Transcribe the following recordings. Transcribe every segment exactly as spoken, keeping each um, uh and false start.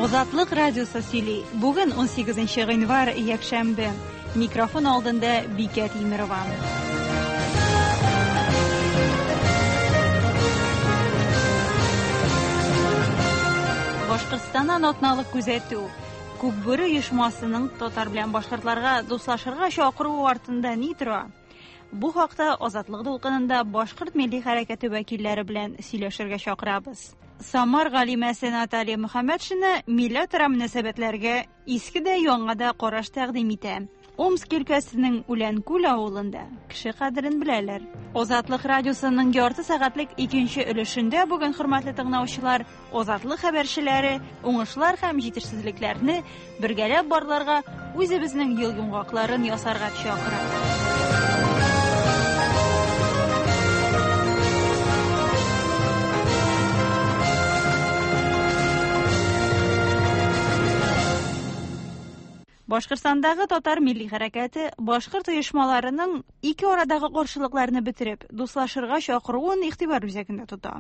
Азатлык радиосы сөйли. Бүген унсигезенче гыйнвар, якшәмбе. Микрофон алдында Бикә Тимирова. Башкортстаннан атналык күзәтү. Күкбүре оешмасының татар белән башкортларга дуслашырга чакыруы артында ни тора? Бу хакта Азатлык дулкынында башкорт милли хәрәкәте вәкилләре белән сөйләшергә чакырабыз. Самар галимәсе Наталья Мөхәммәтшина милләтара мөнәсәбәтләргә иске дә яңа да караш тәкъдим итә. Омск өлкәсенең Үләнкүл авылында кеше кадерен беләләр. Азатлык радиосының ярты сәгатьлек икенче өлешендә бүген хөрмәтле тыңлаучылар, Азатлык хәбәрчеләре уңышлар һәм җитешсезлекләрне бергәләп барларга, үзебезнең ел йомгакларын ясарга чакыра. Башкортстандагы татар милли хәрәкәте башкорт оешмаларының ике арадагы каршылыкларны бетереп, дуслашырга чакыруын игътибар үзәгендә тота.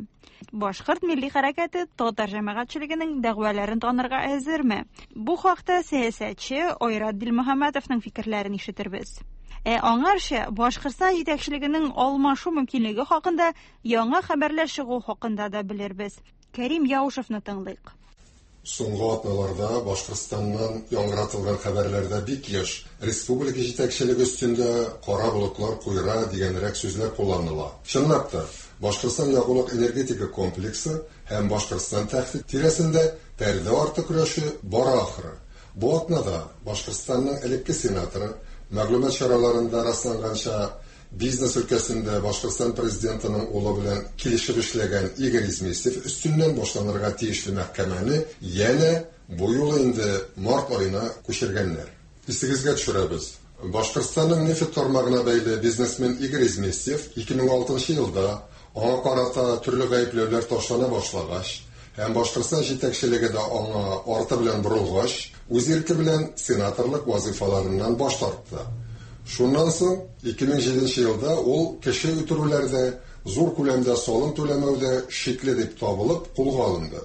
Башкорт милли хәрәкәте татар җәмәгатьчелегенең дәгъваларын танырга әзерме? Бу хакта сәясәтче Айрат Дилмөхәммәтовның фикерләрен ишетербез. Ә аңарча Башкортстан җитәкчелегенең алмашу мөмкинлеге хакында яңа хәбәрләр чыгу хакында да белербез. Кәрим Яушевны тыңлыйк. Соңгы атналарда Башкортстаннан яңгыратылган хәбәрләрдә бик еш республика җитәкчелеге өстендә кара болытлар куера дигәнрәк сүзләр кулланыла. Чынлап та, Башкортстан ягулык энергетика комплексы һәм Башкортстан тәхте тирәсендә пәрдә арты көрәше бара ахыры. Бу атнада Башкортстанның элекке сенаторы мәгълүмат чараларында расланганча бизнес өлкәсендә Башкортстан президентының улы белән килешеп эшләгән Игорь Изместьев өстеннән башланырга тиешле мәхкәмәне янә бу юлы инде март аена күчергәннәр. Исегезгә төшерәбез. Башкортстанның нефть тармагына бәйле бизнесмен Игорь Изместьев ике мең алтынчы елда аңа карата төрле гаепләүләр ташлана башлагач һәм Башкортстан җитәкчелеге дә аңа арты белән борылгач, үз ирке белән сенаторлык вазифаларыннан баш тартты. Шуннан соң ике мең җиденче елда ул кеше үтерүләрдә, зур күләмдә салым түләмәүдә шикле дип табылып кулга алынды.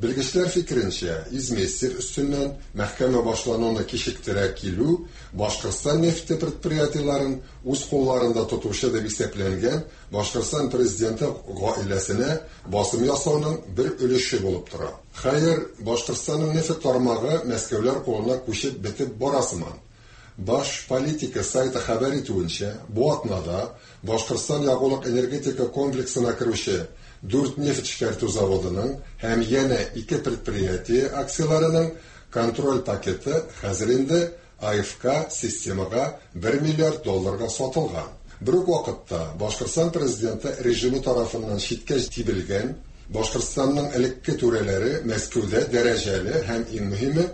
Белгечләр фикеренчә, Изместьев өстеннән мәхкәмә башлануны кичектерә килү Башкортстан нефте предприятиеләрен үз кулларында тотучы дип исәпләнгән Башкортстан президенты гаиләсенә басым ясауның бер өлеше булып тора. Хәер, Башкортстанның нефть тармагы Мәскәүләр кулына күчеп бетеп бара сыман. Баш политика сайты хәбәр итүенчә, бу атнада Башкортстан ягулык энергетика комплексына керүче дүрт нефть эшкәртү заводының һәм янә ике предприятие акцияләренең контроль пакеты хәзер инде А Ф К системага бер миллиард долларга сатылган. Бер үк вакытта Башкортстан президенты режимы тарафыннан читкә тибелгән Башкортстанның элекке түрәләре Мәскәүдә дәрәҗәле һәм иң мөһиме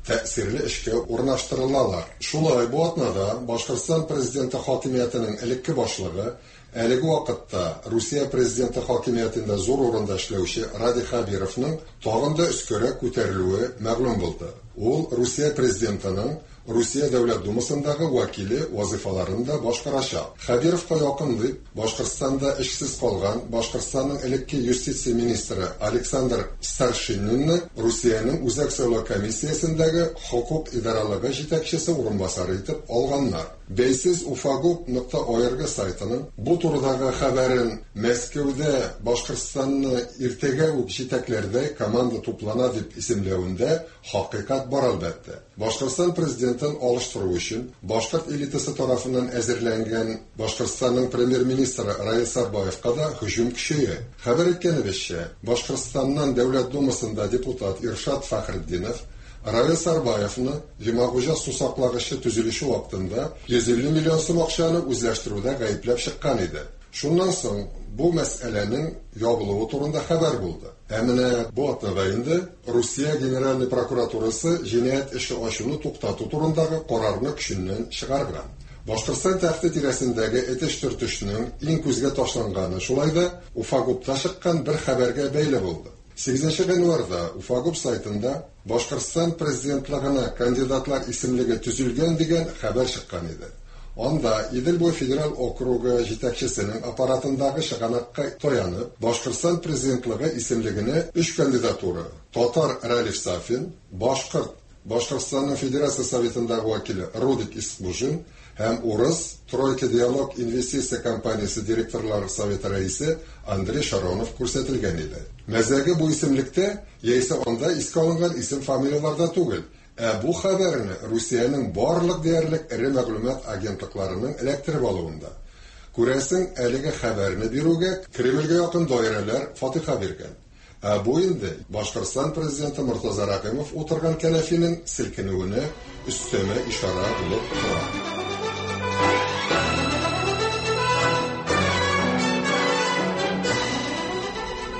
тәэсирле эшкә урнаштырылалар. Шулай бу атнада Башкортстан президенты хакимиятенең элекке башлыгы, әлеге вакытта Русия президенты хакимиятендә зур урында эшләүче Радий Хәбировның тагын да өскәрәк күтәрелүе мәгълүм булды. Ул Русия президентының Русия Дәүләт Думасындагы вәкиле вазифаларын да башкарачак. Хәбировка якын дип Башкортстанда эшсез калган Башкортстанның элекке юстиция министры Александр Старшининны Русиянең Үзәк сайлау комиссиясендәге хокук идаралыгы җитәкчесе урынбасары итеп алганнар. Бәйсез уфагуб нокта орг сайтының бу турыдагы хәбәрен Мәскәүдә Башкортстанны иртәгә үк җитәкләрдәй команда туплана дип исемләвендә хакыйкать бар әлбәттә. Башкортстан президентын алыштыру өчен башкорт элитасы тарафыннан әзерләнгән Башкортстанның премьер-министры Раил Сарбаевка да һөҗүм көчәя. Хәбәр иткәнебезчә, Башкортстаннан Дәүләт Думасында депутат Иршат Фәхретдинов Раил Сарбаевны Йомагуҗа сусаклагычы төзелеше вакытында йөз илле миллион сум акчаны үзләштерүдә гаепләп чыккан иде. Шуннан соң бу мәсьәләнең ябылуы турында хәбәр булды. Ә менә бу атнада инде Русия Генеральный прокуратурасы җинаять эше ачуны туктату турындагы карарны көченнән чыгарган. Башкортстан тәхте тирәсендәге этеш-төртешнең иң күзгә ташланганы шулай да Уфагубта чыккан бер хәбәргә бәйле булды. Сигезенче гыйнварда Уфагуб сайтында Башкортстан президентлыгына кандидатлар исемлеге төзелгән дигән хәбәр чыккан иде. Анда Идел буе федераль округы җитәкчесенең аппаратындагы чыганакка таянып, Башкортстан президентлыгы исемлегенә өч кандидатура: татар Ралиф Сафин, башкорт Башкортстанның Федерация Советындагы вәкиле Рудик Искужин һәм урыс Тройка Диалог инвестиция компаниясе директорлар советы рәисе Андрей Шаронов күрсәтелгән иде. Мәзәге бу исемлектә яисә анда искә алынган исем-фамилияләрдә түгел, ә бу хәбәрне Русиянең барлык диярлек эре мәгълүмат агентлыкларының эләктереп алуында. Күрәсең, әлеге хәбәрне бирүгә Кремльгә якын даирәләр фатиха биргән. Ә бу инде Башкортстан президенты Мортаза Рәхимов утырган кәнәфинең селкенүенә өстәмә ишарә булып тора.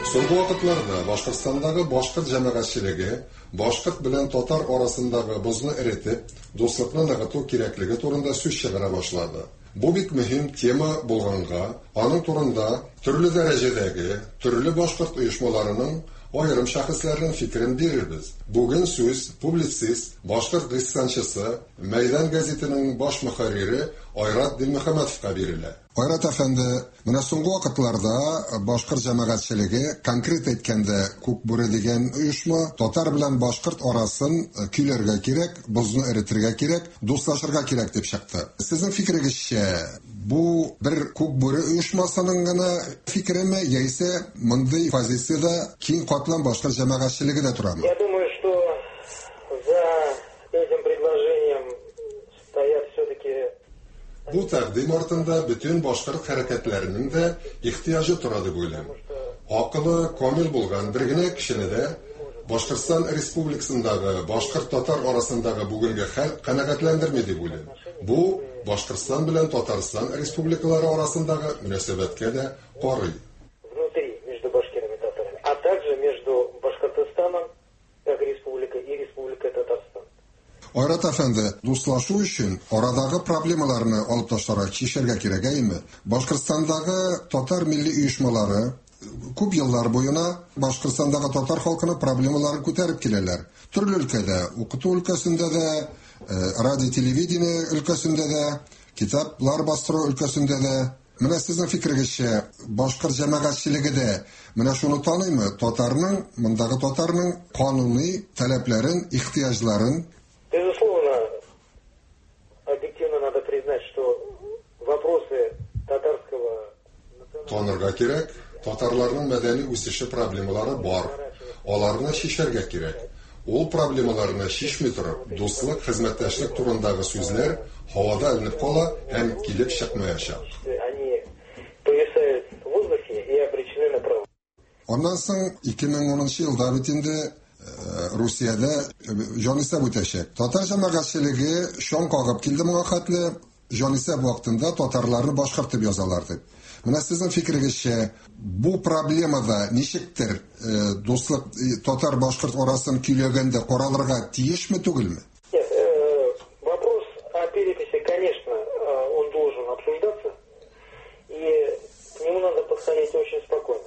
Соңгы вакытларда Башкортстандагы башкорт җәмәгатьчелеге башкорт белән татар арасындагы бозны эретеп, дуслыкны ныгыту кирәклеге турында сүз чыгара башлады. Бу бик мөһим тема булганга, аның турында төрле дәрәҗәдәге, төрле башкорт оешмаларының аерым шәхесләренең фикерен бирербез. Бүген сүз публицист, башкорт гыйссанчысы, Мәйдан гәзитенең баш мөхәррире Айрат Дилмөхәммәтовка бирелә. Айрат әфәнде, менә соңгы вакытларда башкорт җәмәгатьчелеге, конкрет әйткәндә, Күк Бүре дигән оешма, татар белән башкорт арасын көйләргә кирәк, бозны эретергә кирәк, дуслашырга кирәк дип чыкты. Сезнең фикерегезчә, бу бер Күк Бүре оешмасының гына фикереме, яисә мондый позициядә киң катлам башкорт җәмәгатьчелеге дә торамы? Я думаю, что за этим предложением стоят все-таки Бу тәкъдим артында бөтен башкорт хәрәкәтләренең дә ихтыяҗы тора дип уйлыйм. Акылы камил булган бер генә кешене дә Башкортстан Республикасындагы башкорт-татар арасындагы бүгенге хәл канәгатьләндерми дип уйлыйм. Бу Башкортстан белән Татарстан республикалары арасындагы мөнәсәбәткә дә карый. Внутри между башкирами и татарами, а также между Башкортостаном как республикой и Республикой Татарстан. Айрат әфәнде, дуслашу өчен арадагы проблемаларны алып ташларга, чишәргә кирәк, әйеме? Башкортстандагы татар милли оешмалары күп еллар буена Башкортстандагы татар халкының проблемаларын күтәреп киләләр. Төрле өлкәдә, укыту өлкәсендә дә, радио, телевидение өлкәсендә дә, китаплар бастыру өлкәсендә дә. Менә сезнең фикерегезчә, башкорт җәмәгатьчелеге дә менә шуны таныймы? Татарның, мондагы татарның кануни таләпләрен, ихтыяҗларын? Безусловно, объективно надо признать, что вопросы татарского... Танырга кирәк, татарларның мәдәни үсеше проблемалары бар. Аларны чишәргә кирәк. Ул проблемаларны чишми торып, дуслык, хезмәттәшлек турындагы сүзләр һавада эленеп кала һәм килеп чыкмаячак. Они повисают в воздухе и обречены на провал. Аннан соң ике мең унынчы елда бит инде Русиядә җанисәп үтәчәк. Татар җәмәгатьчелеге шаң кагып килде моңа хәтле, җанисәп вакытында татарларны башкорт дип язалар дип. Менә сезнең фикерегезчә, бу проблемада ничектер дуслык татар-башкорт арасын көйләгәндә каралырга тиешме, түгелме? Нет, вопрос о переписи, конечно, он должен обсуждаться, и к нему надо подходить очень спокойно.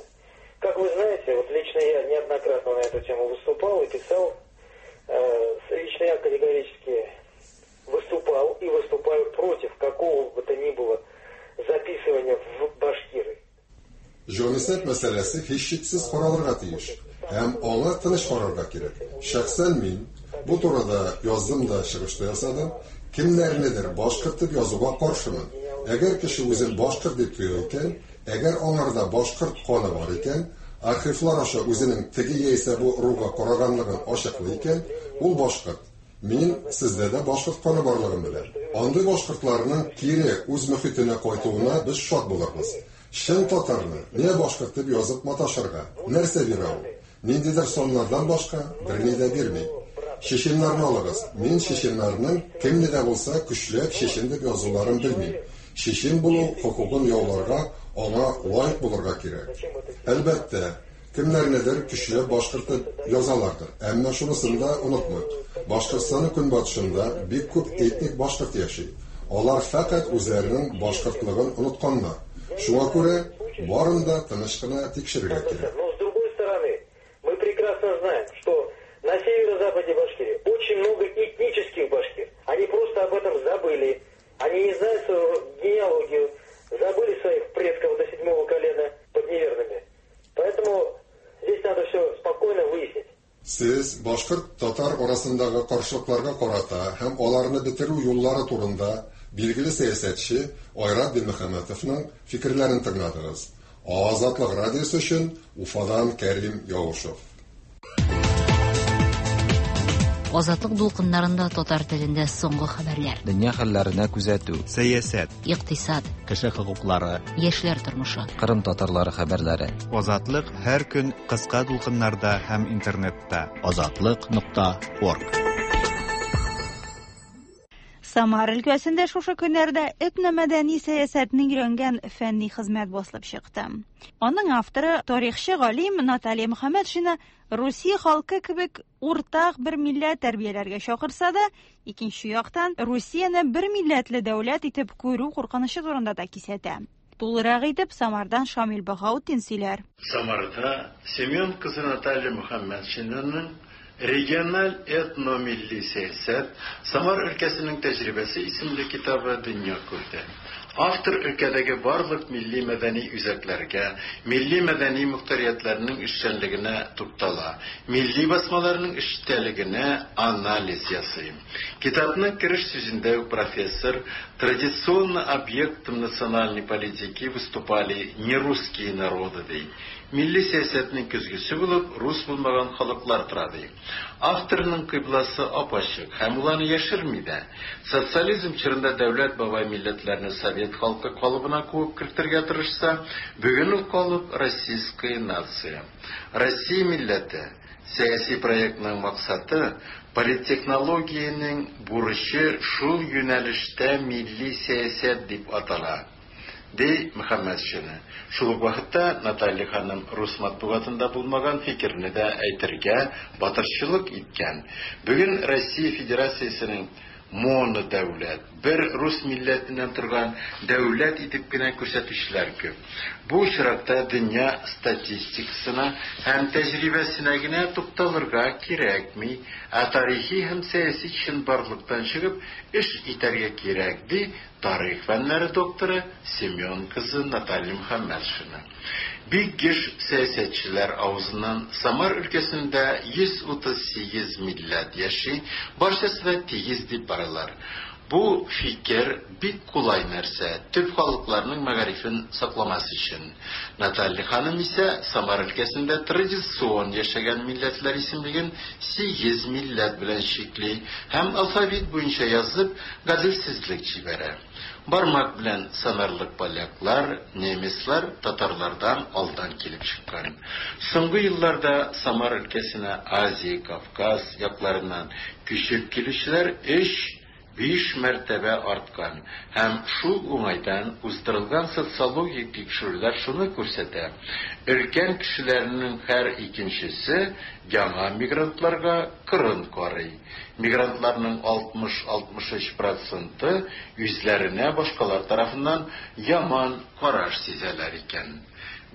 Как вы знаете, вот лично я неоднократно на эту тему выступал и писал. Лично я категорически выступал и выступаю против какого бы то ни было записывания в башкиры. Җанисәп мәсьәләсе һичшиксез каралырга тиеш һәм аңа тыныч карарга кирәк. Шәхсән мин бу турыда яздым да, чыгыш та ясадым. Кемнәрнедер башкорт дип язуга каршымын. Әгәр кеше үзен башкорт дип тоя икән, әгәр аңарда башкорт каны бар икән, архивлар аша үзенең теге яисә бу ыруга караганлыгын ачыклый икән, ул башкорт. Мин сездә дә башкорт каны барлыгын беләм. Андый башкортларның кире үз мөхитенә кайтуына без шат булырбыз. Чын татарны не башкорт дип язып маташырга? Нәрсә бирә ул? Ниндидер саннардан башка берни дә бирми. Чеченнарны алыгыз. Мин чеченнарның кемне дә булса көчләп чечен дип язуларын белмим. Чечен булу хокукын яуларга, аңа лаек булырга кирәк. Әлбәттә, кемнәрнедер көчләп башкорт дип язалардыр. Әмма шунысын да онытмыйк. Башкортстанның көнбатышында бик күп этник башкорт яши. Алар фәкать үзләренең башкортлыгын онытканнар. Шуңа күрә барын да тыныч кына тикшерергә кирәк. Но с другой стороны, мы прекрасно знаем, что на северо-западе Башкирии очень много этнических башкир. Они просто об этом забыли. Они не знают своего Сез башкорт татар арасындагы каршылыкларга карата һәм аларны бетерү юллары турында билгеле сәясәтче Айрат Дилмөхәммәтовның фикерләрен тыңладыгыз. Азатлык радиосы өчен Уфадан Кәрим Яушев. Азатлык дулкыннарында татар телендә соңгы хәбәрләр. Дөнья хәлләренә күзәтү. Сәясәт. Икътисад. Кеше хокуклары. Яшьләр тормышы. Кырым татарлары хәбәрләре. Азатлык һәр көн кыска дулкыннарда һәм интернетта. Азатлык нокта орг. Самар өлкәсендә шушы көннәрдә этномәдәни сәясәтне өйрәнгән фәнни хезмәт басылып чыкты. Аның авторы тарихчы галим Наталья Мөхәммәтшина Русия халкы кебек уртак бер милләт тәрбияләргә чакырса да, икенче яктан Русияне бер милләтле дәүләт итеп күрү куркынычы турында да кисәтә. Тулырак итеп Самардан Шамил Баһаутдин сөйләр. Самарда Семен кызы Наталья Мөхәммәтшинаның Региональ этномилли сәясәт Самар өлкәсенең тәҗрибәсе исемле китабы дөнья күрде. Автор өлкәдәге барлык милли мәдәни үзәкләргә, милли мәдәни мөхтәриятләрнең эшчәнлегенә туктала, милли басмаларның эчтәлегенә анализ ясый. Китапның кереш сүзендә профессор традиционно объектом национальной политики выступали не русские народы, ди. Милли сәясәтнең көзгесе булып рус булмаган халыклар тора, ди. Авторның кыйбласы ап-ачык һәм ул аны яшерми дә. Социализм чорында дәүләт бабай милләтләрне совет халкы калыбына куып кертергә тырышса, бүген ул калып российская нация. Россия милләте сәяси проектның максаты политтехнологиянең бурычы шул юнәлештә милли сәясәт дип атала, ди Мөхәммәтшина. Шул ук вакытта Наталья ханым рус матбугатында булмаган фикерне дә әйтергә батырчылык иткән. Бүген Россия Федерациясенең монодәүләт, бер рус милләтеннән торган дәүләт итеп кенә күрсәтүчеләр күп. Бу очракта дөнья статистикасына һәм тәҗрибәсенә генә тукталырга кирәкми, ә тарихи һәм сәяси чынбарлыктан чыгып эш итәргә кирәк, ди тарих фәннәре докторы Семен кызы Наталья Мөхәммәтшина. Бик еш сәясәтчеләр авызыннан Самар өлкәсендә йөз утыз сигез милләт яши, барчасы да тигез дип баралар. Бу фикер бик кулай нәрсә, төп халыкларның мәгарифен сакламас өчен. Наталья ханым исә Самар өлкәсендә традицион яшәгән милләтләр исемлеген сигез милләт белән чикли һәм алфавит буенча язып гаделсезлек җибәрә. Бармак белән санарлык поляклар, немецлар татарлардан алдан килеп чыккан. Соңгы елларда Самар өлкәсенә Азия, Кавказ якларыннан күчеп килүчеләр өч биш мәртәбә арткан һәм шул уңайдан уздырылган социологик тикшерүләр шуны күрсәтә. Өлкән кешеләрнең һәр икенчесе яңа мигрантларга кырын карый. Мигрантларның алтмыш-алтмыш өч проценты үзләренә башкалар тарафыннан яман караш сизәләр икән.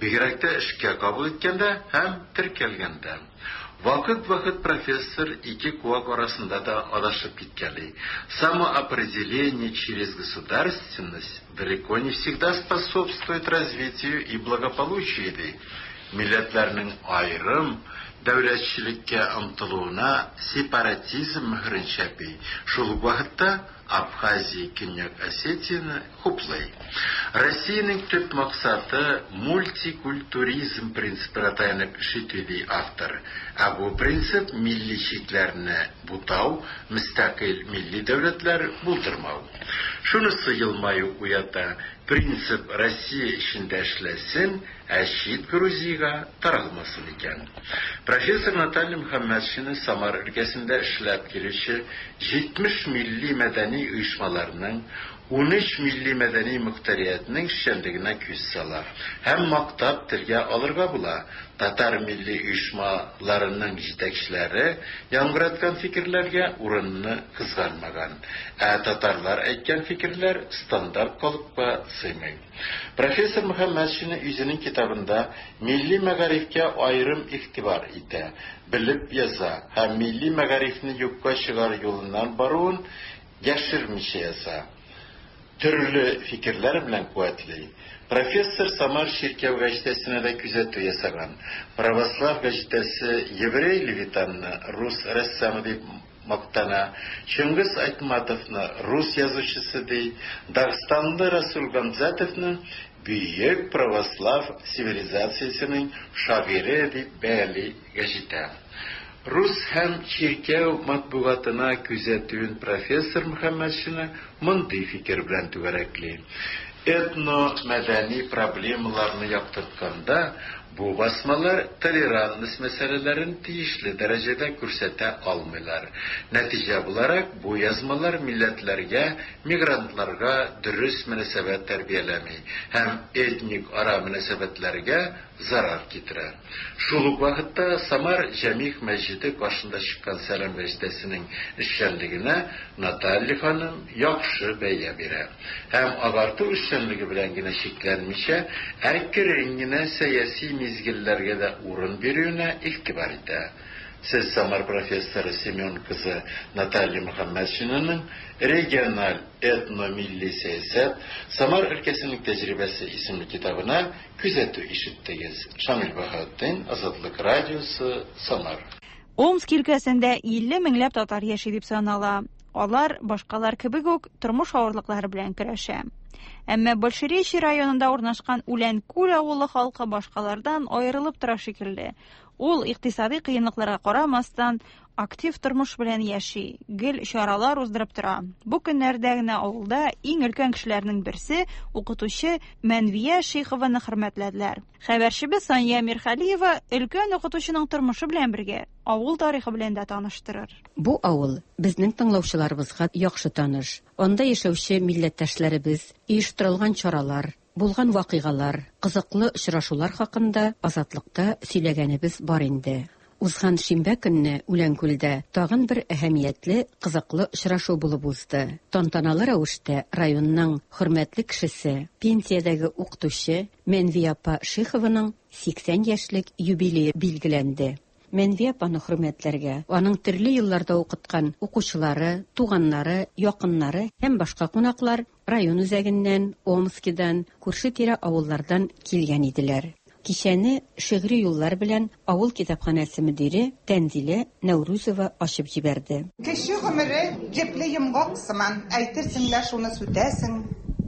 Бигрәк тә эшкә кабул иткәндә һәм теркәлгәндә. Вакыт-вакыт профессор ике куак арасында да адашып киткәли. Самоопределение через государственность далеко не всегда способствует развитию и благополучию, ди. Милләтләрнең аерым дәүләтчелеккә омтылуына сепаратизм мөһерен чәпи. Шул ук вакытта Абхазия, Көньяк Осетияне хуплый. Россиянең төп максаты мультикультуризм принцибына таянып эш итү, ди автор. Ә бу принцип милли чикләрне бутау, мөстәкыйль милли дәүләтләр булдырмау. Шунысы елмаю уята: принцип Россия эчендә эшләсен, ә чит Грузиягә таралмасын икән. Профессор Наталья Мөхәммәтшина Самар өлкәсендә эшләп килүче җитмеш милли мәдәни оешмаларның, унөч милли мәдәни мөхтәриятнең эшчәнлегенә күз сала һәм мактап телгә алырга була. Татар милли оешмаларының җитәкчеләре яңгыраткан фикерләргә урынны кызганмаган, ә татарлар әйткән фикерләр стандарт калыпка сыймый. Профессор Мөхәммәтшина үзенең китабында милли мәгарифкә аерым игътибар итә, белеп яза һәм милли мәгарифне юкка чыгару юлыннан баруын яшермичә яза. Төрле фикерләр белән куәтли. Профессор Самар чиркәү гәҗитәсенә дә күзәтү ясаган. Православ гәҗитәсе еврей Левитанны рус рәссамы дип мактана, Чыңгыз Айтматовны рус язучысы ди, Дагстанлы Расул Гамзатовны бөек православ цивилизациясенең шагыйре дип бәяли гәҗитә. Рус һәм чиркәү матбугатына күзәтүен профессор Мөхәммәтшина мондый фикер белән түгәрәкли. Этно-мәдәни проблемаларны яктыртканда, бу басмалар толерантность мәсьәләләрен тиешле дәрәҗәдә күрсәтә алмыйлар. Нәтиҗә буларак, бу язмалар милләтләргә, мигрантларга дөрес мөнәсәбәт тәрбияләми һәм этник ара мөнәсәбәтләргә зарар китерә. Шул ук вакытта Самар Җәмигъ мәсҗиде каршында чыккан Сәлам гәҗитәсенең эшчәнлегенә Наталья ханым яхшы бәя бирә. Һәм агарту эшчәнлеге белән генә чикләнмичә, әкрен генә сәяси мизгелләргә дә урын бирүенә игътибар итә. Сез Самар профессоры Семен кызы Наталья Мөхәммәтшинаның региональ этно-милли сәясәт Самар өлкәсенең тәҗрибәсе исемле китабына күзәтү ишеттегез. Шамил Баһаутдин, Азатлык радиосы, Самар. Омск өлкәсендә илле меңләп татар яши дип санала. Алар башкалар кебек үк тормыш авырлыклары белән көрәшә. Әмма Большеречье районында урнашкан Үләнкүл авылы халкы башкалардан аерылып тора шикелле. Ул икътисади кыенлыкларга карамастан актив тормыш белән яши, гел чаралар уздырып тора. Бу көннәрдә генә авылда иң өлкән кешеләрнең берсе укытучы Мәнвия Шихованы хөрмәтләделәр. Хәбәрчебез Сания Мирхалиева өлкән укытучының тормышы белән бергә авыл тарихы белән дә таныштырыр. Бу авыл безнең тыңлаучыларыбызга яхшы таныш. Анда яшәүче милләттәшләребез, оештырылган чаралар, булган вакыйгалар, кызыклы очрашулар хакында Азатлыкта сөйләгәнебез бар инде. Узган шимбә көнне Үләнкүлдә тагын бер әһәмиятле, кызыклы очрашу булып узды. Тантаналы рәвештә районның хөрмәтле кешесе, пенсиядәге укытучы Мәнвия апа Шихованың сиксән яшьлек юбилее билгеләнде. Мәнвия апаны хөрмәтләргә аның төрле елларда укыткан укучылары, туганнары, якыннары һәм башка кунаклар район үзәгеннән, Омскидан, күрше-тирә авыллардан килгән иделәр. Кичәне шигъри юллар белән авыл китапханәсе мөдире Тәнзилә Нәүрүзова ачып җибәрде. Кеше гомере җепле йомгак сыман, әйтерсең лә шуны сүтәсең,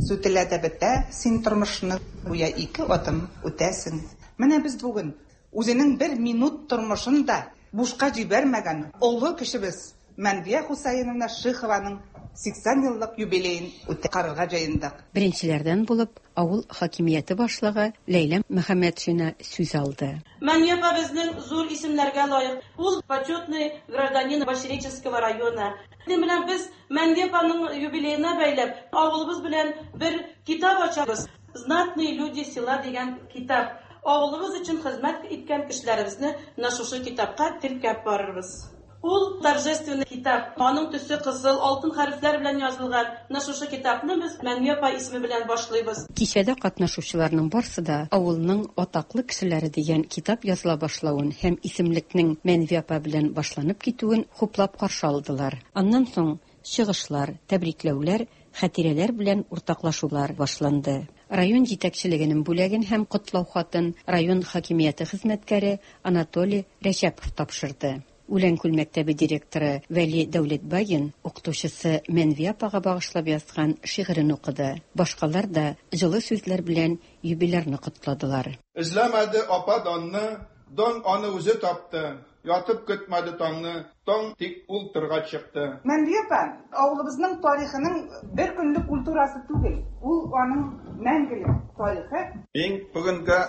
сүтелә дә бетә, син тормышны гүя ике адым үтәсең. Менә без бүген үзенең бер минут тормышын да бушка җибәрмәгән олы кешебез Мәнвия Хусаиновна Шихованың сиксән еллык юбилеен үткәрергә җыендык. Беренчеләрдән булып авыл хакимияте башлыгы Ләйлә Мөхәммәтшина сүз алды. Мәнвия апа безнең зур исемнәргә лаек. Ул почетный гражданин Большереченского района. Менә без Мәнвия апаның юбилеена бәйләп авылыбыз белән бер китап ачабыз. Знатные люди села дигән китап. Авылыбыз өчен хезмәт иткән кешеләребезне менә шушы китапка теркәп барырбыз. Ул торжественный китап. Аның төсе кызыл, алтын хәрефләр белән язылган. Менә шушы китапны без Мәнвия апа исеме белән башлыйбыз. Кичәдә катнашучыларның барсы да авылның атаклы кешеләре дигән китап языла башлавын һәм исемлекнең Мәнвия апа белән башланып китүен хуплап каршы алдылар. Аннан соң чыгышлар, тәбрикләүләр, хатирәләр белән уртаклашулар башланды. Район җитәкчелегенең бүләген һәм котлау хатын район хакимияте хезмәткәре Анатолий Рәҗәпов тапшырды. Үләнкүл мәктәбе директоры Вәли Дәүләтбаин укытучысы Мәнвия апага багышлап язган шигырен укыды. Башкалар да җылы сүзләр белән юбилярны котладылар. Эзләмәде апа данны, дан аны үзе тапты. Ятып көтмәде таңны, таң тик ул тырга чыкты. Мәнвия апа авылыбызның тарихының бер көнлек культурасы түгел. Ул аның мәңгелек тарихы. Мин бүгенге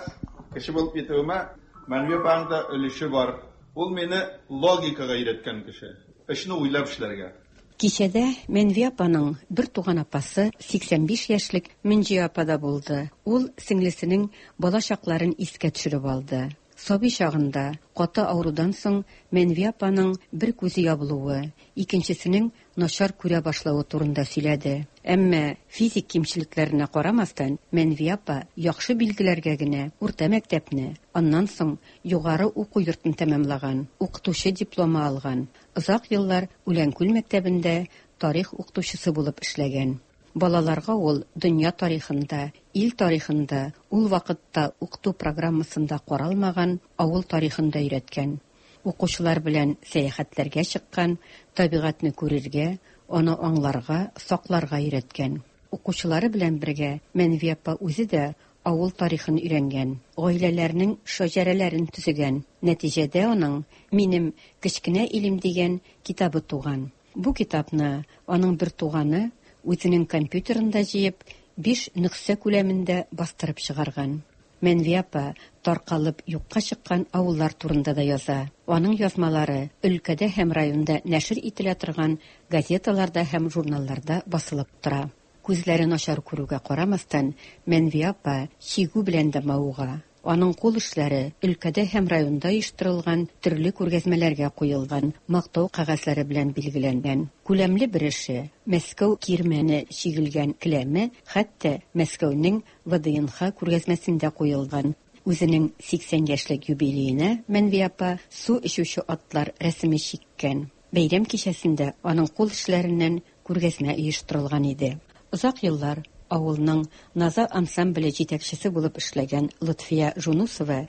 кеше булып китүемә Мәнвия апаның да өлеше бар. Ул мине логикага өйрәткән кеше. Эшне уйлап эшләргә. Кичәдә Мәнвия апаның бер туган апасы сиксән биш яшьлек Мөнҗия апа да булды. Ул сеңлесенең бала чакларын искә төшереп алды. Сабый чагында каты авырудан соң Мәнвия апаның бер күзе ябылуы, икенчесенең начар күрә башлавы турында сөйләде. Әмма физик кимчелекләренә карамастан, Мәнвия апа яхшы билгеләргә генә урта мәктәпне, аннан соң югары уку йортын тәмамлаган, укытучы дипломы алган. Озак еллар Үләнкүл мәктәбендә тарих укытучысы булып эшләгән. Балаларга ул дөнья тарихында, ил тарихында, ул вакытта укыту программасында каралмаган авыл тарихын да өйрәткән. Укучылар белән сәяхәтләргә чыккан, табигатьне күрергә, аны аңларга, сакларга өйрәткән. Укучылары белән бергә Мәнвия апа үзе дә авыл тарихын өйрәнгән, гаиләләрнең шәҗәрәләрен төзегән. Нәтиҗәдә аның «Минем кечкенә илем» дигән китабы туган. Бу китапны аның бер туганы үзенең компьютерында җыеп, биш нөсхә күләмендә бастырып чыгарган. Мәнвия апа таркалып юкка чыккан авыллар турында да яза. Аның язмалары өлкәдә һәм районда нәшер ителә торган газеталарда һәм журналларда басылып тора. Күзләре начар күрүгә карамастан, Мәнвия апа чигү белән дә мавыга. Аның кул эшләре өлкәдә һәм районда оештырылган төрле күргәзмәләргә куелган, мактау кәгазьләре белән билгеләнгән. Күләмле бер эше Мәскәү кирмәне чигелгән келәме хәтта Мәскәүнең вэ дэ эн ха күргәзмәсендә куелган. Үзенең сиксән яшьлек юбилеена Мәнвия апа су эчүче атлар рәсеме чиккән. Бәйрәм кичәсендә аның кул эшләреннән күргәзмә оештырылган иде. Озак еллар авылның Наза ансамбле җитәкчесе булып эшләгән Лотфия Жунусова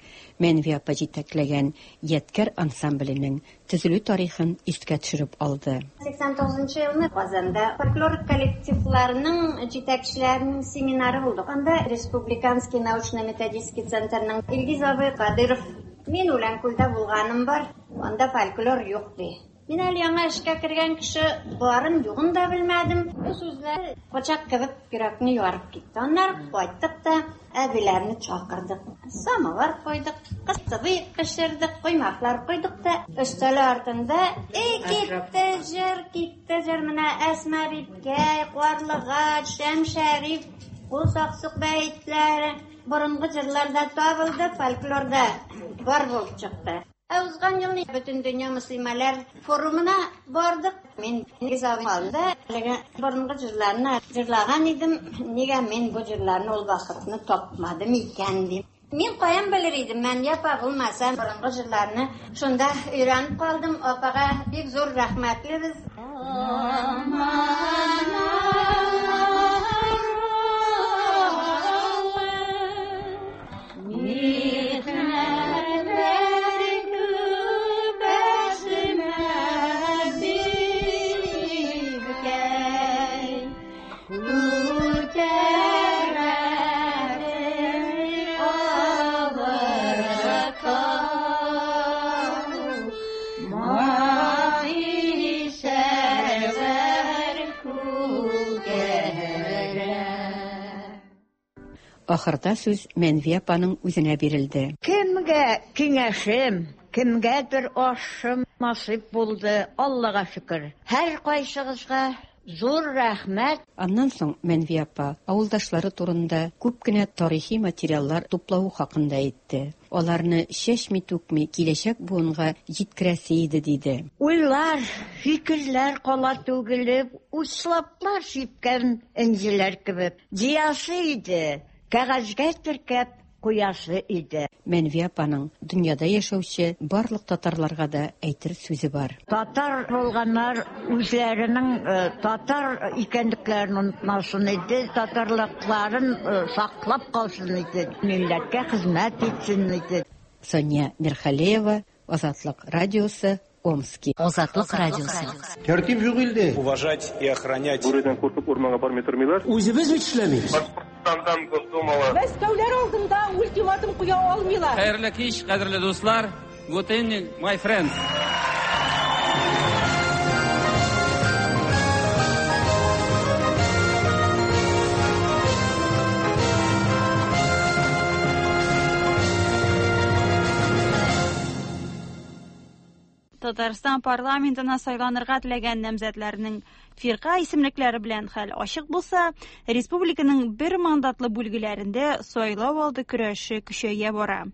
Мәнвия апа җитәкләгән Ядкәр ансамбленең төзелү тарихын искә төшереп алды. сиксән тугызынчы елны Казанда фольклор коллективларының җитәкчеләренең семинары булды. Анда Республиканский научно-методический центрның Илгиз абый Кадыров: «Мин Үләнкүлдә булганым бар, анда фольклор юк», – ди. Мин әле яңа эшкә кергән кеше, барын югын да белмәдем. Бу сүзләр пычак кебек йөрәкне ярып китте. Аннары кайттык та әбиләрне чакырдык. Самовар куйдык, кыстыбый пешердек, коймаклар куйдык та өстәл артында и китте җыр, китте җыр. Менә Әсма бибкәй, Карлыгач, Шәмшәриф, Кул Саксык бәетләре, борынгы җырларда табылды, фольклорда бар булып чыкты. Ә узган елны Бөтен дөнья мөселманнар форумына бардык. Мин Илгиз абый алдында әлеге борынгы җырларны җырлаган идем. Нигә мин бу җырларны ул вакытны тапмадым икән дим. Мин каян белер идем, Мәнвия апа булмаса, борынгы җырларны шунда өйрәнеп калдым. Апага бик зур рәхмәтлебез. Ахырда сүз Мәнвия апаның үзенә бирелде. Кемгә киңәшем, кемгәдер ашым насыйп булды, Аллага шөкер. Һәр кайсыгызга зур рәхмәт. Аннан соң Мәнвия апа авылдашлары турында күп кенә тарихи материаллар туплавы хакында әйтте. Аларны чәчми-түкми киләчәк буынга җиткерәсе иде, диде. Уйлар, фикерләр кала түгелеп, учлаплар сипкән энҗеләр кебек. Җыясы иде, кәгазьгә теркәп куясы иде. Мәнвия апаның дөньяда яшәүче барлык татарларга да әйтер сүзе бар. Татар булганнар үзләренең э, татар икәнлекләрен онытмасын иде, татарлыкларын э, саклап калсын иде, милләткә хезмәт итсен иде. Сания Мирхалеева, Азатлык радиосы, Омски. Азатлык радиосы. Тәртип юк илдә. Уважать и охранять. Бүредән куркып урманга бармый тормыйлар. Үзебез бит эшләмибез. Башкортстандан Госдумага. Мәскәүләр алдында ультиматум куя алмыйлар. Хәерле кич, кадерле дуслар. Good evening, my friends. Татарстан парламентына сайланырга теләгән намзәтләрнең фирка исемлекләре белән хәл ачык булса, республиканың бер мандатлы бүлгеләрендә сайлау алды көрәше көчәя бара.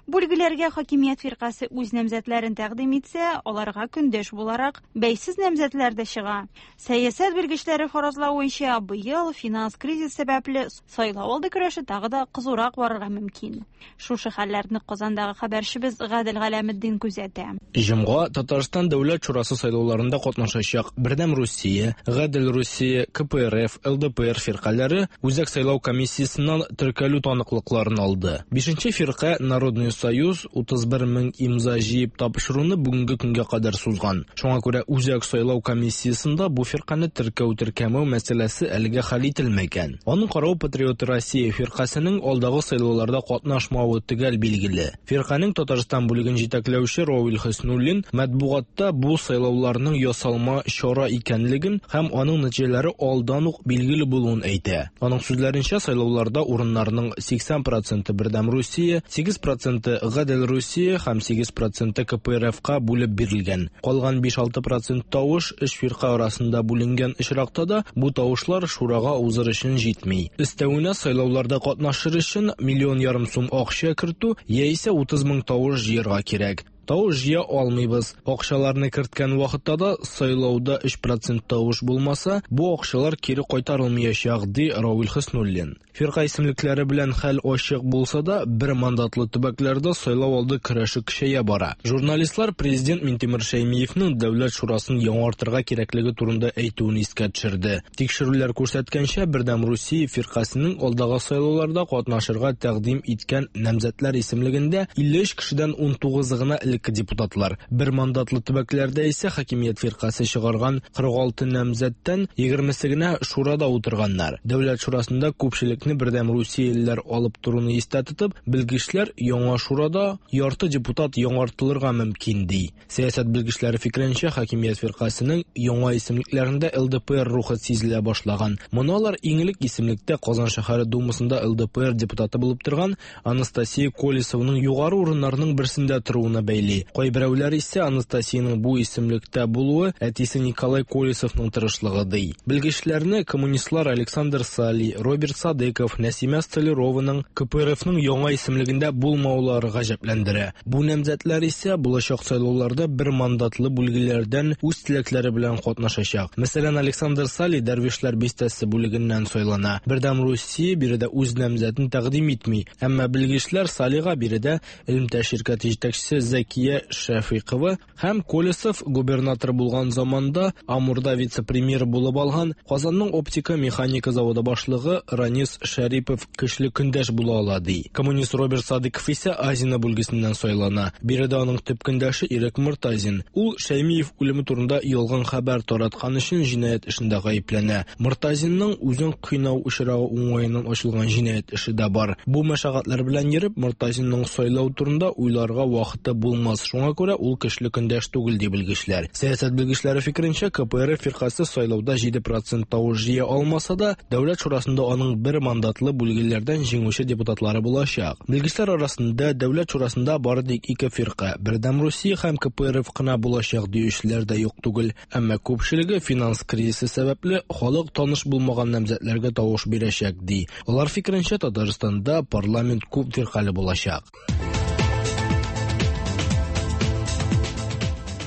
Бүлгеләргә хакимият фиркасе үз намзәтләрен тәкъдим итсә, аларга көндәш буларак бәйсез намзәтләр дә чыга. Сәясәт белгечләре фаразлавынча, быел финанс кризис сәбәпле сайлау алды көрәше тагы да кызурак барырга мөмкин. Шушы хәлләрне Казандагы хәбәрчебез Гадел Галәметдин күзәтә. Җомга Татарстан Дәүләт Шурасы сайлауларында катнашачак Бердәм Русия, Гадел Русия, К П Р Ф, Л Д П Р фиркаләре Үзәк сайлау комиссиясеннән теркәлү таныклыкларын алды. Бишенче фирка Народный Союз утыз бер мең имза җыеп тапшыруны бүгенге көнгә кадәр сузган. Шуңа күрә Үзәк сайлау комиссиясендә бу фирканы теркәү-теркәмәү мәсьәләсе әлегә хәл ителмәгән. Аның каравы Патриот Россия фиркасының алдагы сайлауларда катнашмавы төгәл билгеле. Фирканың Татарстан бүлеген җитәкләүче Равил Хөснуллин матбугатта бу сайлауларның ясалма чара икәнлеген һәм аның нәтиҗәләре алдан ук билгеле булуын әйтә. Аның сүзләренчә, сайлауларда урыннарның сиксән проценты Бердәм Русия, сигез проценты Гадел Русия һәм сигез проценты К П Р Ф-ка бүлеп бирелгән. Калган биш-алты процент тавыш өч фирка арасында бүленгән очракта да бу тавышлар шурага узыр өчен җитми. Өстәвенә сайлауларда катнашыр өчен миллион ярым сум акча кертү яисә утыз мең тавыш җыярга кирәк. Тавыш җыя алмыйбыз. Акчаларны керткән вакытта да сайлауда өч процент тавыш булмаса, бу акчалар кире кайтарылмаячак, ди Равил Хөснуллин. Фирка исемлекләре белән хәл ачык булса да, бер мандатлы төбәкләрдә сайлау алды көрәше көчәя бара. Журналистлар президент Минтимер Шәймиевның Дәүләт шурасын яңартырга кирәклеге турында әйтүен искә төшерде. Тикшерүләр күрсәткәнчә, Бердәм Русия фиркасының алдагы сайлауларда катнашырга тәкъдим иткән намзәтләр исемлегендә илле өч кешедән ун тугызы гына элекке депутатлар. Бер мандатлы төбәкләрдә исә хакимият фиркасе чыгарган кырык алты намзәттән егермесе генә шурада утырганнар. Дәүләт шурасында күпчелекне Бердәм Русиялеләр алып торуны истә тотып, белгечләр яңа шурада ярты депутат яңартылырга мөмкин ди. Сәясәт белгечләре фикеренчә, хакимият фиркасының яңа исемлекләрендә Л Д П Р рухы сизелә башлаган. Моны алар иң элек исемлектә Казан шәһәре Думасында Л Д П Р депутаты булып торган Анастасия Колесованың югары урыннарының берсендә торуына бәйли. Кайберәүләр исә Анастасияның бу исемлектә булуы әтисе Николай Колесовның тырышлыгы ди. Белгечләрне коммунистлар Александр Сали, Роберт Садыков, Нәсимә Столярованың К П Р Фның яңа исемлегендә булмаулары гаҗәпләндерә. Бу намзәтләр исә булачак сайлауларда бер мандатлы бүлгеләрдән үз теләкләре белән катнашачак. Мәсәлән, Александр Сали Дәрвишләр бистәсе бүлегеннән сайлана. Бердәм Русия биредә үз намзәтен тәкъдим итми. Әмма белгечләр Салига биредә элемтә ширкәте җитәкчесе Зәкия Шәфыйкова һәм Колесов губернатор булган заманда Амурда вице-премьер булып алган Казанның оптика механика заводы башлыгы Ранис Шәрипов көчле көндәш була ала ди. Коммунист Роберт Садыков исә Азина бүлгесеннән сайлана. Биредә аның төп көндәше Ирек Мортазин. Ул Шәймиев үлеме турында ялган хәбәр тараткан өчен җинаять эшендә гаепләнә. Мортазинның үзен кыйнау очрагы уңаеннан ачылган җинаять эше дә бар. Бу мәшәкатьләр белән йөреп, Мортазинның сайлау турында уйларга вакыты булмас. Шуңа күрә ул көчле көндәш түгел ди белгечләр. Сәясәт белгечләре фикеренчә, К П Р Ф фиркасы сайлауда җиде процент тавыш җыя алмаса да, Дәүләт шурасында аның бер мандатлы бүлгеләрдән җиңүче депутатлары булачак. Белгечләр арасында Дәүләт шурасында бары тик ике фирка, Бердәм Русия һәм К П Р Ф кына булачак диючеләр дә юк түгел. Әмма күпчелеге финанс кризисы сәбәпле халык таныш булмаган намзәтләргә тавыш бирәчәк ди. Алар фикеренчә, Татарстанда парламент күп фиркалы булачак.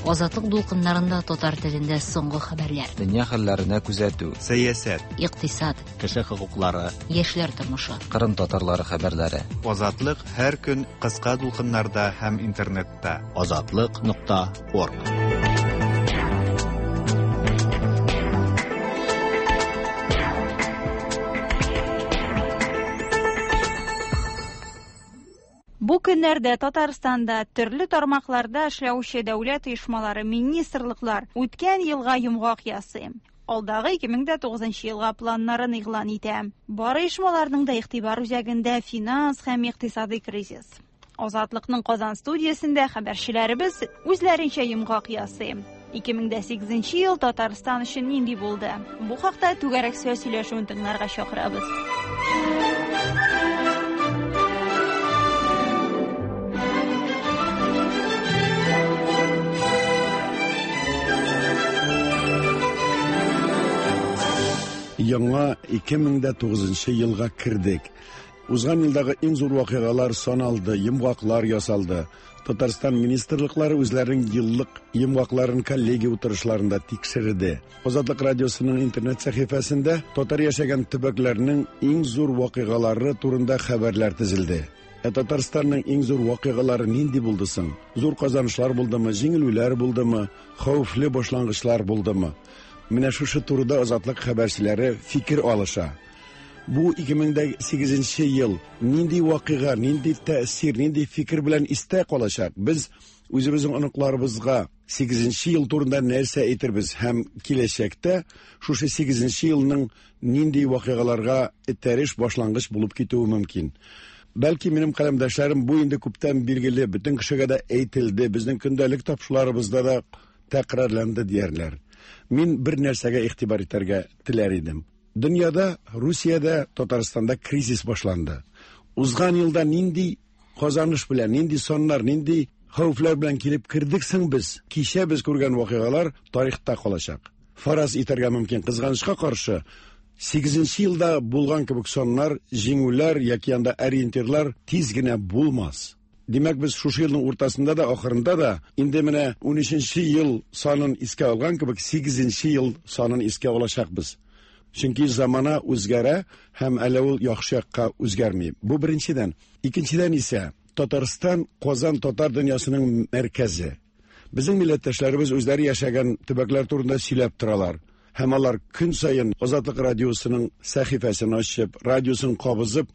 Азатлык дулкыннарында татар телендә соңгы хәбәрләр. Дөнья хәлләренә күзәтү. Сәясәт, икътисад, кеше хокуклары, яшьләр тормышы. Кырым татарлары хәбәрләре. Азатлык һәр көн кыска дулкыннарда һәм интернетта. Азатлык нокта орг. Бу көннәрдә Татарстанда төрле тармакларда эшләүче дәүләт оешмалары, министрлыклар үткән елга йомгак ясый. Алдагы ике мең дә тугызынчы елга планнарын игълан итә. Бар оешмаларның да игътибар үзәгендә финанс һәм икътисади кризис. Азатлыкның Казан студиясендә хәбәрчеләребез үзләренчә йомгак ясый. ике мең дә сигезенче ел Татарстан өчен нинди булды? Бу хакта түгәрәк сүз сөйләшүен тыңларга чакырабыз. Яңа ике мең дә тугызынчы елга кирдек. Узган елдагы иң зур вакыйгалар саналды, йомгаклар ясалды. Татарстан министрлыклары үзләренең еллык йомгакларын коллегия утырышларында тикшерде. Азатлык радиосының интернет сәхифәсендә татар яшәгән төбәкләрнең иң зур вакыйгалары турында хәбәрләр тезелде. Ә Татарстанның иң зур вакыйгалары нинди булды соң? Зур казанышлар булдымы, җиңелүләр булдымы, хәвефле башлангычлар булдымы? Менә шушы турыда Азатлык хәбәрчеләре фикер алыша. Бу ике мең сигезенче ел нинди вакыйга, нинди тәэсир, нинди фикер белән истә калачак? Без үзебезнең оныкларыбызга сигезенче ел турында нәрсә әйтербез һәм киләчәктә шушы сигезенче елның нинди вакыйгаларга этәреш башлангыч булып китүе мөмкин. Бәлки минем каләмдәшләрем бу инде күптән билгеле, бөтен кешегә дә әйтелде, безнең көндәлек тапшыруларыбызда да тәкрарланды диярләр. Мин бер нәрсәгә игътибар итәргә теләр идем. Дөньяда, Русиядә, Татарстанда кризис башланды. Узган елда нинди казаныш белән, нинди саннар, нинди хәвефләр белән килеп кердек соң без? Кичә без күргән вакыйгалар тарихта калачак. Фараз итәргә мөмкин, кызганычка каршы, сигезенче елда булган кебек саннар, җиңүләр яки анда ориентирлар тиз генә булмас. Димәк, без шушы елның уртасында да, ахырында да инде менә унөченче ел санын искә алган кебек сигезенче ел санын искә алачакбыз. Чөнки замана үзгәрә һәм әле ул яхшы якка үзгәрми. Бу беренчедән. Икенчедән исә Татарстан Казан татар дөньясының мәркәзе. Безнең милләттәшләребез үзләре яшәгән төбәкләр турында сөйләп торалар. Һәм алар көн саен Азатлык радиосының сәхифәсен ачып, радиосын кабызып,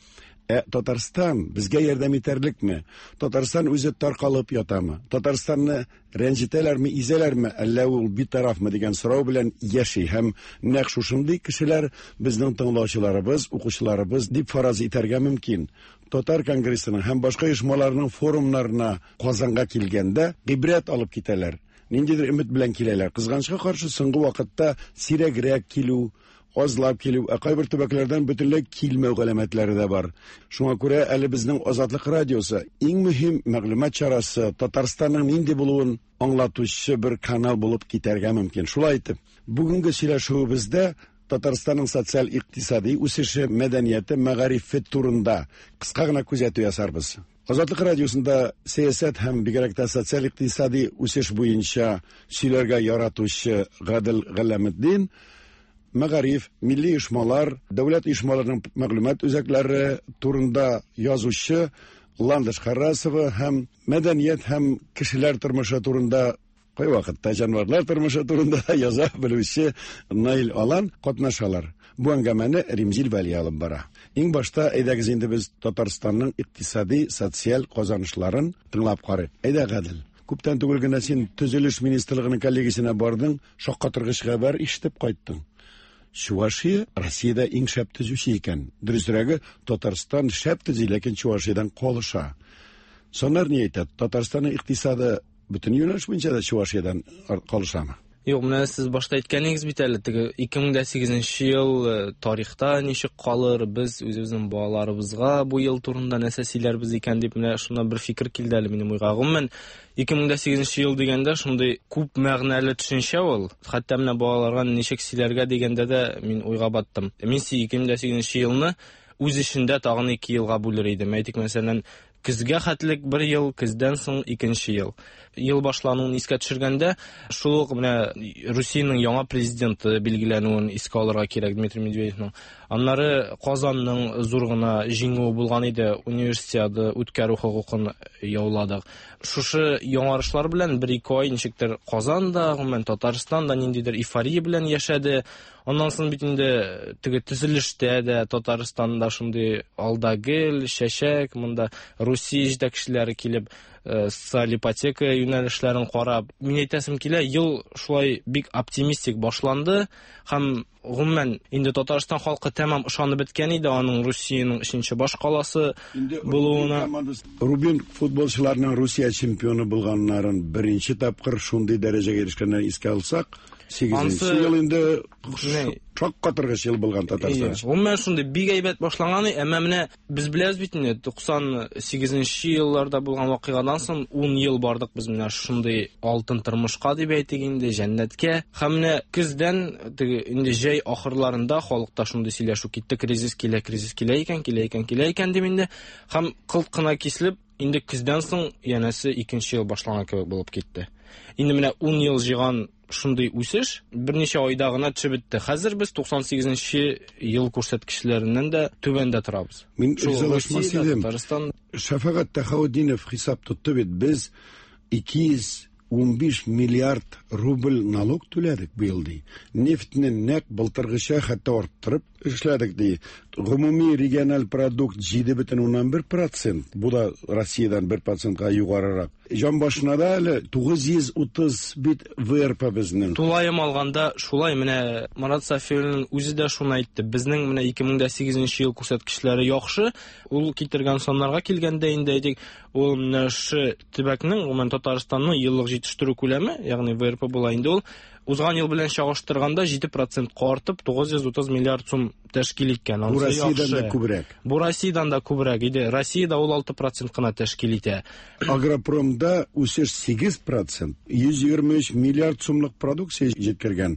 ә Татарстан безгә ярдәм итәрлекме? Татарстан үзе таркалып ятамы? Татарстанны рәнҗетәләрме, изәләрме, әллә ул битарафмы дигән сорау белән яши. Һәм нәкъ шушындый кешеләр безнең тыңлаучыларыбыз, укучыларыбыз дип фараз итәргә мөмкин. Татар конгрессының һәм башка оешмаларның форумнарына Казанга килгәндә гыйбрәт алып китәләр. Ниндидер өмет белән киләләр. Кызганычка каршы, соңгы вакытта сирәгрәк килү, азлап килү, ә кайбер төбәкләрдән бөтенләй килмәү галәмәтләре дә бар. Шуңа күрә әле безнең Азатлык радиосы иң мөһим мәгълүмат чарасы, Татарстанның нинди булуын аңлатучы бер канал булып китәргә мөмкин. Шулай итеп, бүгенге сөйләшүебездә Татарстанның социаль-икътисади үсеше, мәдәнияте, мәгарифе турында кыска гына күзәтү ясарбыз. Азатлык радиосында сәясәт һәм бигрәк тә социаль-икътисади үсеш буенча сөйләргә яратучы Гадел Галәметдин, мәгариф, милли оешмалар, дәүләт оешмаларының мәгълүмат үзәкләре турында язучы Ландыш Харрасова һәм мәдәният һәм кешеләр тормышы турында, кайвакытта җанварлар тормышы турында да яза белүче Наил Алан катнашалар. Бу әңгәмәне Римзил Вәли алып бара. Иң башта әйдәгез инде без Татарстанның икътисади, социаль казанышларын тыңлап карыйк. Әйдә, Гадел. Күптән түгел генә син Төзелеш министрлыгының коллегиясенә бардың, шаккатыргыч хәбәр ишетеп кайттың. Чувашия Россиядә иң шәп төзүче икән. Дөресрәге, Татарстан шәп төзи, ләкин Чувашиядән калыша. Саннар ни әйтә? Татарстанның икътисады бөтен юнәлеш буенча да Чувашиядән калышамы? Юк, менә сез башта әйткәнегез бит әле, теге ике мең сигезенче ел тарихта ничек калыр, без үзебезнең балаларыбызга бу ел турында нәрсә сөйләрбез икән дип, менә шуннан бер фикер килде әле минем уйга. Гомумән, ике мең сигезенче ел дигәндә шундый күп мәгънәле төшенчә ул. Хәтта менә балаларга ничек сөйләргә дигәндә дә мин уйга баттым. Мин ике мең сигезенче елны үз эчендә тагын ике елга бүлер идем. Әйтик, мәсәлән, көзгә хәтлек бер ел, көздән соң икенче ел. Ел башлануын искә төшергәндә, шул ук менә Русиянең яңа президенты билгеләнүен искә алырга кирәк, Дмитрий Медведевның. Аннары Казанның зур гына җиңүе булган иде, универсиада үткәрү хокукын яуладык. Шушы яңарышлар белән бер-ике ай ничектер Казан да, гомумән Татарстан да ниндидер эйфория белән яшәде. Аннан соң бит инде теге төзелештә дә Татарстанда шундый алда гел, чәчәк, монда Русия җитәкчеләре килеп социаль ипотека юнәлешләрен карап, мин әйтәсем килә, ел шулай бик оптимистик башланды һәм гомумән инде Татарстан халкы тәмам ышанып беткән иде аның Русиянең өченче баш каласы булуына. Рубин футболчыларының Русия чемпионы булганнарын беренче тапкыр шундый дәрәҗәгә ирешкәннәрен искә алсак, сигезенче ел инде Шаккатыргыч ел булган Татарстан. Гомумән шундый бик әйбәт башланган, әмма менә без беләбез бит инде туксан сигезенче елларда булган вакыйгадан соң ун ел бардык без менә шундый алтын тормышка дип әйтик инде, җәннәткә. Һәм менә көздән теге инде җәй ахырларында халыкта шундый сөйләшү китте, кризис килә, кризис килә икән, килә икән, килә икән дип инде. Һәм кылт кына киселеп, инде көздән соң янәсе икенче ел башланган кебек булып китте. Инде менә ун ел җыйган шундый үсеш берничә айда гына төшеп бетте. Хәзер без туксан сигезенче ел күрсәткечләреннән дә түбәндә торабыз. Мин ризалашмас идем. Татарстан Шәфәгать Тәхаутдинов хисап тотты бит, без ике йөз унбиш миллиард рубль налог түләдек быел ди. Нефтне нәкъ былтыргыча хәтта арттырып эшләдек ди. Гомуми региональ продукт җиде бөтен уннан бер процент. Бу да Россиядән бер процентка югарырак. Җан башына да әле тугыз йөз утыз бит ВРП безнең. Тулаем алганда шулай менә Марат Сафиуллин үзе дә шуны әйтте. Безнең менә ике мең дә сигезенче ел күрсәткечләре яхшы. Ул китергән саннарга килгәндә инде әйтик, ул менә шы төбәкнең, гомумән Татарстанның еллык җитештерү күләме, ягъни ВРП була инде ул, узган ел белән чагыштырганда җиде процентка артып тугыз йөз утыз миллиард сум тәшкил иткән. Бу Россиядән дә күбрәк. Бу Россиядән дә күбрәк иде. Россиядә ул алты процент кына тәшкил итә. Агропромда үсеш сигез процент, йөз егерме өч миллиард сумлык продукция җиткергән.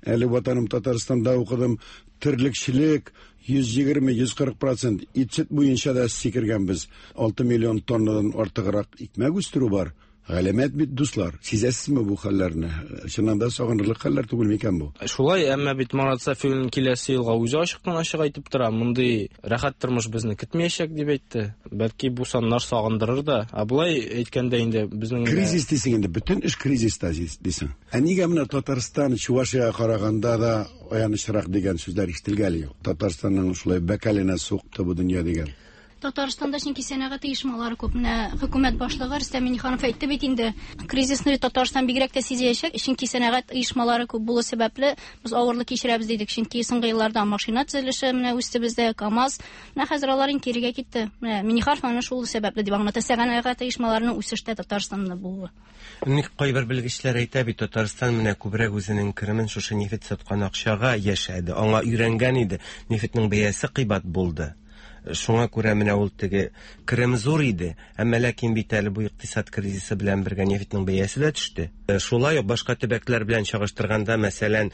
Әле Ватаным Татарстанда укыдым, терлекчелек йөз егерме, йөз кырык процент, ит сөт буенча да сикергәнбез. Алты миллион тоннадан артыграк икмәк үстерү бар. Галәмәт бит, дуслар. Сизәсезме бу хәлләрне? Чыннан да сагынырлык хәлләр түгел микән бу? Шулай, әмма бит Марат Сафиуллин киләсе елга үзе ачыктан-ачык әйтеп тора, мондый рәхәт тормыш безне көтмәячәк дип әйтте. Бәлки бу саннар сагындырыр да. Ә болай әйткәндә инде безнең кризис дисең инде, бөтен эш кризиста дисең. Ә нигә менә Татарстан Чувашиягә караганда да аянычрак дигән сүзләр ишетелгәли юк? Татарстанның шулай бәкәленә сукты бу дөнья дигән. Татарстанда чөнки сәнәгать оешмалары күп. Менә хөкүмәт башлыгы Рөстәм Миңнеханов әйтте бит инде, кризисны Татарстан бигрәк тә сизәчәк, чөнки сәнәгать оешмалары күп булу сәбәпле без авырлык кичерәбез дидек. Чөнки соңгы елларда машина төзелеше менә үсте бездә, КАМАЗ. Менә хәзер алар инде кирегә китте. Менә Миңнеханов аны шул сәбәпле дип аңлата, сәнәгать оешмаларының үсештә Татарстанда булуы. Ник кайбер белгечләр әйтә бит, Татарстан менә күбрәк үзенең керемен шушы нефть саткан акчага яшәде, аңа өйрәнгән иде. Нефтьнең бәясе кыйбат булды. Шуңа күрә менә ул теге керем зур иде, әмма ләкин бит әле бу икътисад кризисы белән бергә нефтьнең бәясе дә төште. Шулай ук башка төбәкләр белән чагыштырганда, мәсәлән,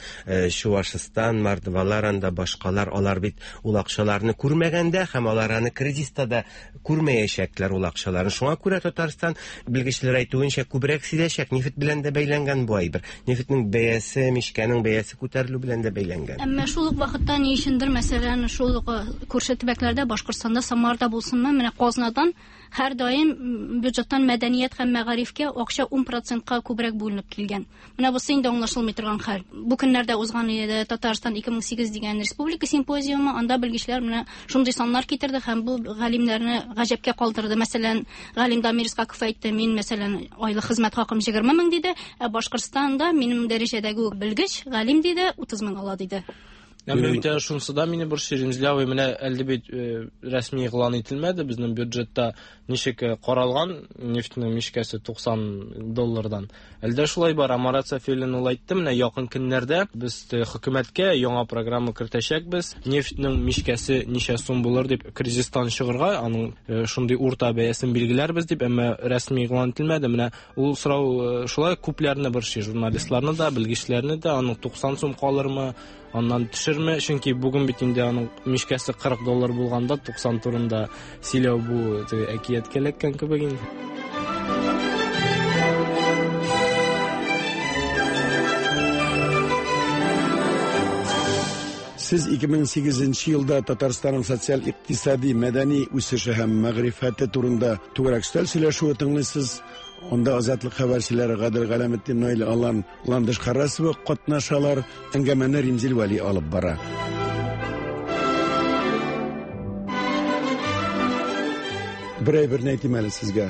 Чувашстан, Мордвалар, анда башкалар, алар бит ул акчаларны күрмәгәндә һәм алар аны кризиста да күрмәячәкләр ул акчаларны. Шуңа күрә Татарстан, белгечләр әйтүенчә, күбрәк сизәчәк. Нефть белән дә бәйләнгән бу әйбер. Нефтьнең бәясе, мичкәнең бәясе күтәрелү белән дә бәйләнгән. Әмма шул ук вакытта ни өчендер, мәсәлән, шул ук күрше төбәкләрдә, Башкортстанда, Самарда булсынмы, менә казнадан һәр даим бюджеттан мәдәният һәм мәгарифкә акча ун процентка күбрәк бүленеп килгән. Менә бусы инде аңлашылмый торган хәл. Бу көннәрдә узган иде Татарстан ике мең сигез дигән республика симпозиумы, анда белгечләр менә шундый саннар китерде һәм бу галимнәрне гаҗәпкә калдырды. Мәсәлән, галим Дамир Исхаков әйтте, мин мәсәлән айлык хезмәт хакым егерме мең диде, ә Башкортстанда минем дәрәҗәдәге белгеч галим диде утыз мең ала диде. Әмма бит шунысы да мине борчый, Римзил абый, менә әле бит рәсми игълан ителмәде, безнең бюджетта ничек каралган нефтьнең мичкәсе туксан доллардан. Әлдә шулай бар, Марат Сафиуллин ул әйтте, менә якын көннәрдә без хөкүмәткә яңа программа кертәчәкбез, нефтьнең мичкәсе ничә сум булыр дип кризистан чыгарга, аның шундый урта бәясен билгеләрбез дип, әмма рәсми игълан ителмәде. Менә ул сорау шулай күпләрне борчый, журналистларны да, белгечләрне дә, аның туксан сум калырмы, аннан төшерме, чөнки бүген бит инде аның мичкәсе кырык доллар булганда туксан турында сөйләү бу әкияткә эләккән кебек инде. Сез ике мең сигезенче елда Татарстанның социаль, икътисади, мәдәни үсеше һәм мәгърифәте турында түгәрәк өстәл сөйләшүе тыңлыйсыз. Онда Азатлык хәбәрчеләре Гадел Галәметдин, Наил Алан, Ландыш Харасова катнашалар. Әңгәмәне Римзил Вәли алып бара. Бер әйберне әйтим әле сезгә.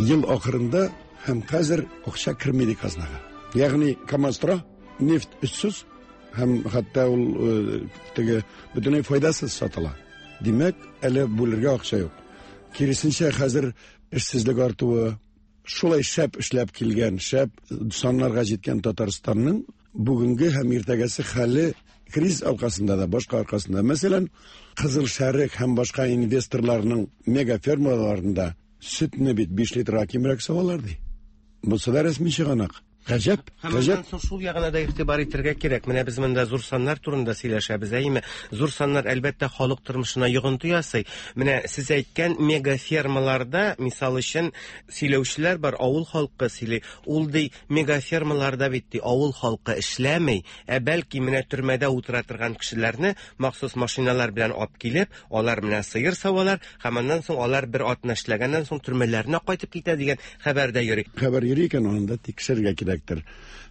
Ел ахырында һәм хәзер акча керми ди казнага. Ягъни КАМАЗ тора, нефть өссез һәм хәтта ул теге бөтенләй файдасыз сатыла. Димәк, әле бүлергә акча юк. Киресенчә, хәзер эшсезлек артуы, шулай шәп эшләп килгән, шәп саннарга җиткән Татарстанның бүгенге һәм иртәгәсе хәле Кризис аркасында да, башка аркасында. Мәсәлән, Кызыл Шәрык һәм башка инвесторларның мегафермаларында сөтне бит биш литрга кимрәк савалар ди. Бусы да рәсми чыганак. Гаҗәп, гаҗәп. Һәм шул ягына да игътибар итәргә кирәк. Менә без монда зур саннар турында сөйләшәбез, әйеме? Зур саннар әлбәттә халык тормышына йогынты ясый. Менә сез әйткән мегафермаларда, мисал өчен, сөйләүчеләр бар, авыл халкы сөйли. Ул ди мегафермаларда бит ди авыл халкы эшләми, ә бәлки менә төрмәдә утыра торган кешеләрне махсус машиналар белән алып килеп, алар менә сыер савалар һәм аннан соң алар бер атна эшләгәннән соң төрмәләренә кайтып китә дигән хәбәр дә йөри. Хәбәр йөри икән, аны да тикшерергә кирәк.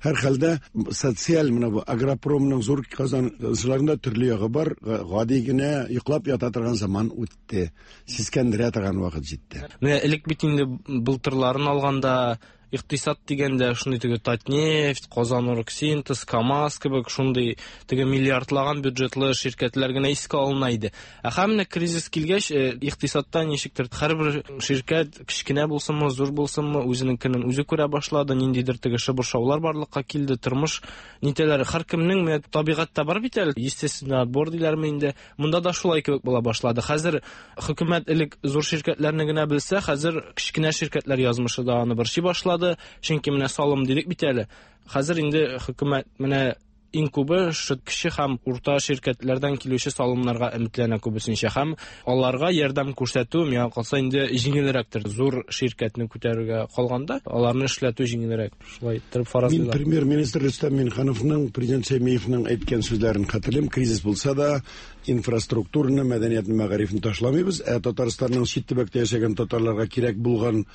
Һәр хәлдә социаль менә бу агропромның зур казанышларында төрле ягы бар. Гади генә йоклап ята торган заман үтте. Сискәндерә торган вакыт җитте. Менә элек бит инде былтырларын алганда икътисад дигәндә шундый теге Татнефть, Казаноргсинтез, КАМАЗ кебек шундый теге миллиардлаган бюджетлы ширкәтләр генә искә алына иде. Ә һәм менә кризис килгәч, икътисадта ничектер һәрбер ширкәт кечкенә булсынмы, зур булсынмы, үзенең көнен үзе күрә башлады, ниндидер теге шыбыршаулар барлыкка килде, тормыш нитәләре һәркемнең менә табигатьтә бар бит әле, естественный отбор диләрме инде. Монда да шулай кебек була башлады. Хәзер хөкүмәт элек зур ширкәтләрне генә белсә, хәзер кечкенә ширкәтләр язмышы да аны борчый башлады. Чөнки менә салым дидек бит әле. Хәзер инде хөкүмәт менә иң күбе шу кече һәм урта ширкәтләрдән килүче салымнарга өметләнә күбесенчә һәм аларга ярдәм күрсәтү миңа калса инде җиңелрәктер. Зур ширкәтне күтәрергә калганда аларны эшләтү җиңелрәк. Шулай итеп фаразлыйлар. Мин премьер-министр Рөстәм Миңнехановның, президент Шәймиевның әйткән сүзләрен хәтерлим. Кризис булса да инфраструктураны, мәдәниятне, мәгарифне ташламыйбыз. Ә Татарстанның чит төбәктә яшәгән татарларга кирәк булган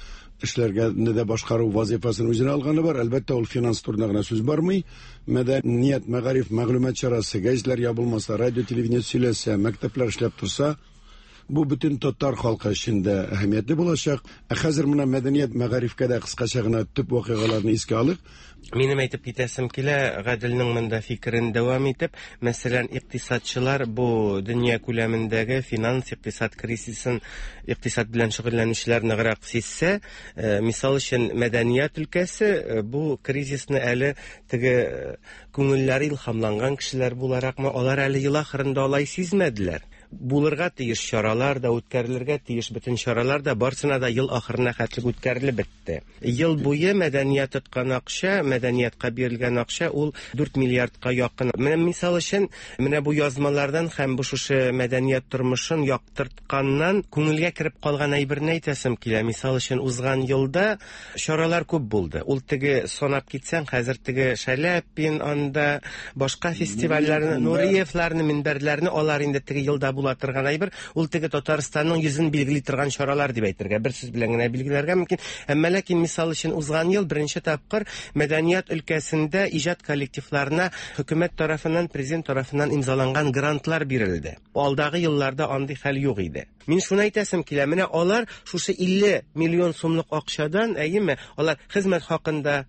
эшләргә дә башкару вазифасын үзенә алганы бар. Әлбәттә, ул финанс турында гына сүз бармый. Мәдәният, мәгариф, мәгълүмат чарасы, гәзитләр ябылмаса, радио, телевидение сөйләсә, мәктәпләр эшләп торса, бу бөтен татар халкы өчен дә әһәмиятле булачак. Ә хәзер менә мәдәният, мәгарифкә дә кыскача гына төп вакыйгаларны искә алыйк. Минем әйтеп китәсем килә, Гаделнең монда фикерен дәвам итеп, мәсәлән, икътисадчылар бу дөнья күләмендәге финанс икътисад кризисын икътисад белән шөгыльләнүчеләр ныграк сизсә, мисал өчен мәдәният өлкәсе бу кризисны әле теге күңелләре илһамланган кешеләр буларакмы, алар әле ел ахырында алай сизмәделәр. Булырга тиеш чаралар да, үткәрелергә тиеш бөтен чаралар да барсына да ел ахырына хәтлек үткәрелеп бетте. Ел буе мәдәният тоткан акча, мәдәниятка бирелгән акча ул дүрт миллиардка якын. Менә мисал өчен, менә бу язмалардан һәм бу шушы мәдәният тормышын яктыртканнан күңелгә кереп калган әйберне әйтәсем килә. Мисал өчен, узган елда чаралар күп булды. Ул теге санап китсәң, хәзер теге Шаляпин анда, башка фестивальләрне, Нуриевларны, минбәрләрне, алар инде теге елда була торган әйбер, ул теге Татарстанның йөзен билгели торган чаралар дип әйтергә, бер сүз белән генә билгеләргә мөмкин. Әмма ләкин мисал өчен узган ел беренче тапкыр мәдәният өлкәсендә иҗат коллективларына хөкүмәт тарафыннан, президент тарафыннан имзаланган грантлар бирелде. Алдагы елларда андый хәл юк иде. Мин шуны әйтәсем килә, менә алар шушы илле миллион сумлык акчадан, әйеме, алар хезмәт хакында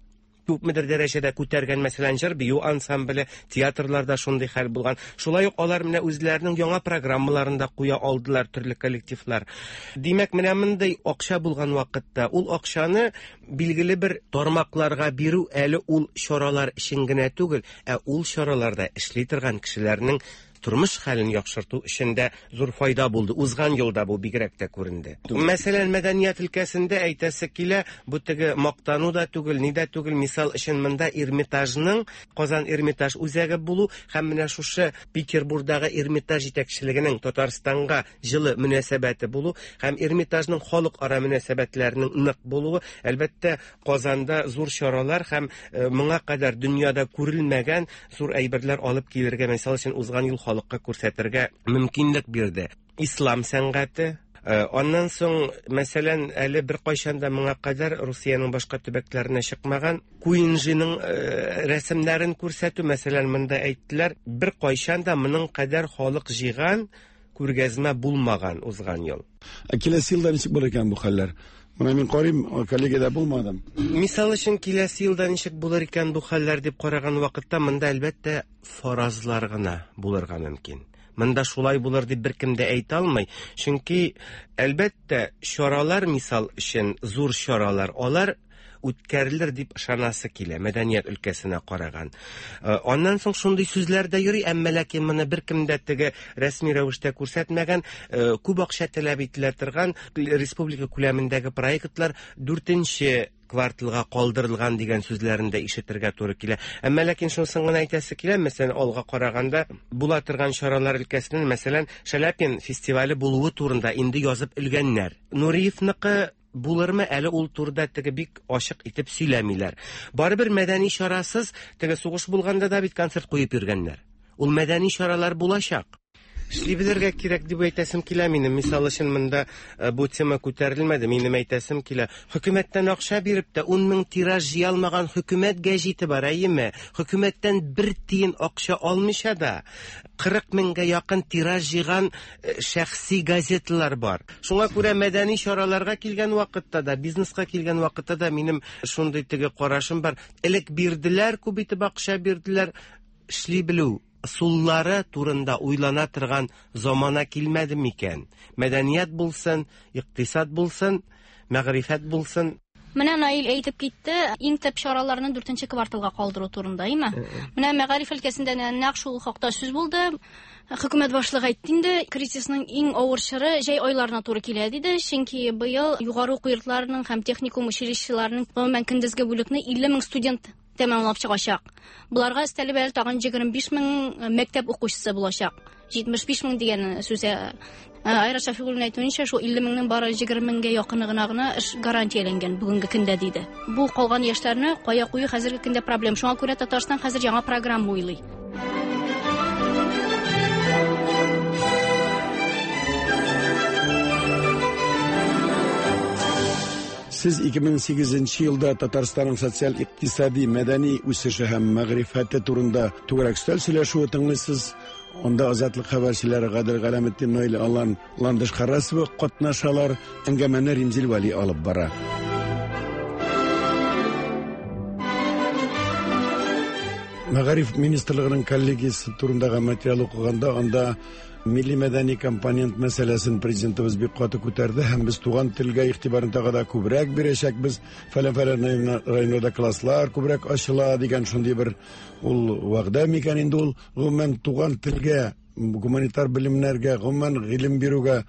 күпмедер дәрәҗәдә күтәргән, мәсәлән, җыр бию ансамбле, театрларда шундый хәл булган. Шулай ук алар менә үзләренең яңа программаларын да куя алдылар төрле коллективлар. Димәк, менә мондый акча булган вакытта ул акчаны билгеле бер тармакларга бирү әле ул чаралар өчен генә түгел, ә ул чараларда эшли торган кешеләрнең тормыш хәлен яхшырту өчен дә зур файда булды. Узган елда бу бигрәк тә күренде. Мәсәлән, мәдәният өлкәсендә әйтәсе килә, бу теге мактану да түгел, ни дә түгел. Мисал өчен монда Эрмитажның, Казан Эрмитаж үзәге булу һәм менә шушы Петербургдагы Эрмитаж җитәкчелегенең Татарстанга җылы мөнәсәбәте булу һәм Эрмитажның халыкара мөнәсәбәтләренең нык булуы, әлбәттә, Казанда зур чаралар һәм моңа кадәр дөньяда күрелмәгән зур әйберләр алып килергә, мисал өчен, узган ел халыкка күрсәтергә мөмкинлек бирде. Ислам сәнгате, аннан соң, мәсәлән, әле бер кайчан да моңа кадәр Русиянең башка төбәкләренә чыкмаган Куинжиның рәсемнәрен күрсәтү, мәсәлән, монда әйттеләр, бер кайчан да моның кадәр халык җыйган күргәзмә булмаган узган ел. Ә киләсе елда ничек булыр икән бу хәлләр? Менә мин карыйм, коллегиядә булмадым. Мисал өчен, киләсе елда ничек булыр икән бу хәлләр дип караган вакытта монда әлбәттә фаразлар гына булырга мөмкин. Монда шулай булыр дип беркем дә әйтә алмый. Чөнки әлбәттә чаралар, мисал өчен, зур чаралар, алар үткәрелер дип ышанасы килә, мәдәният өлкәсенә караган. Аннан соң шундый сүзләр дә йөри, әмма ләкин моны беркем дә теге рәсми рәвештә күрсәтмәгән, күп акча таләп ителә торган республика күләмендәге проектлар дүртенче кварталга калдырылган дигән сүзләрен дә ишетергә туры килә. Әмма ләкин шунысын гына әйтәсе килә, мәсәлән, алга караганда була торган чаралар өлкәсеннән, мәсәлән, Шаляпин фестивале булуы турында инде язып өлгәннәр. Нуриевныкы булырмы, әле ул турыда теге бик ачык итеп сөйләмиләр. Барыбер мәдәни чарасыз, теге сугыш булганда да бит концерт куеп йөргәннәр. Ул мәдәни чаралар булачак. Эшли белергә кирәк дип әйтәсем килә минем. Мисал өчен монда бу тема күтәрелмәде. Минем әйтәсем килә. Хөкүмәттән акча биреп тә ун мең тираж җыя алмаган хөкүмәт гәҗите бар, әйеме? Хөкүмәттән бер тиен акча алмыйча да кырык меңгә якын тираж җыйган шәхси газеталар бар. Шуңа күрә мәдәни чараларга килгән вакытта да, бизнеска килгән вакытта да минем шундый теге карашым бар. Элек бирделәр, күп итеп акча бирделәр, эшли белү ысуллары турында уйлана торган замана килмәде микән? Мәдәният булсын, икътисад булсын, мәгърифәт булсын. Менә Наил әйтеп китте, иң төп чараларны дүртенче кварталга калдыру турында, әйме? Менә мәгариф өлкәсендә нәкъ шул хакта сүз булды. Хөкүмәт башлыгы әйтте инде, кризисның иң авыр чоры җәй айларына туры килә диде, чөнки быел югары уку йортларының һәм техникум училищеларының гомумән көндезге бүлекне илле мең студент тәмамлап чыгачак. Буларга өстәлеп әле тагын егерме биш мең мәктәп укучысы булачак. Җитмеш биш мең дигән сүз. Айрат Шәфигуллин әйтүенчә, шул илле меңнең бары егерме меңгә якыны гына гына эш гарантияләнгән бүгенге көндә диде. Бу калган яшьләрне кая кую хәзерге көндә проблем. Шуңа күрә Татарстан хәзер яңа программа уйлый. Сез ике мең сигезенче елда Татарстанның социаль, икътисади, мәдәни үсеше һәм мәгърифәте турында түгәрәк өстәл сөйләшүе тыңлыйсыз. Анда Азатлык хәбәрчеләре Гадел Галәметдин, Наил Алан, Ландыш Харасова катнашалар. Әңгәмәне Римзил Вәли алып бара. Мәгариф министрлыгының коллегиясе турындагы материал укыганда анда милли мәдәни компонент мәсьәләсен президентыбыз бик каты күтәрде һәм без туган телгә игътибарын тагы да күбрәк бирәчәкбез. Фәлән-фәлән районда класслар күбрәк ачыла дигән шундый бер ул вәгъдә микән инде ул? Гомумән туган телгә, гуманитар белемнәргә, гомумән гыйлем бирүгә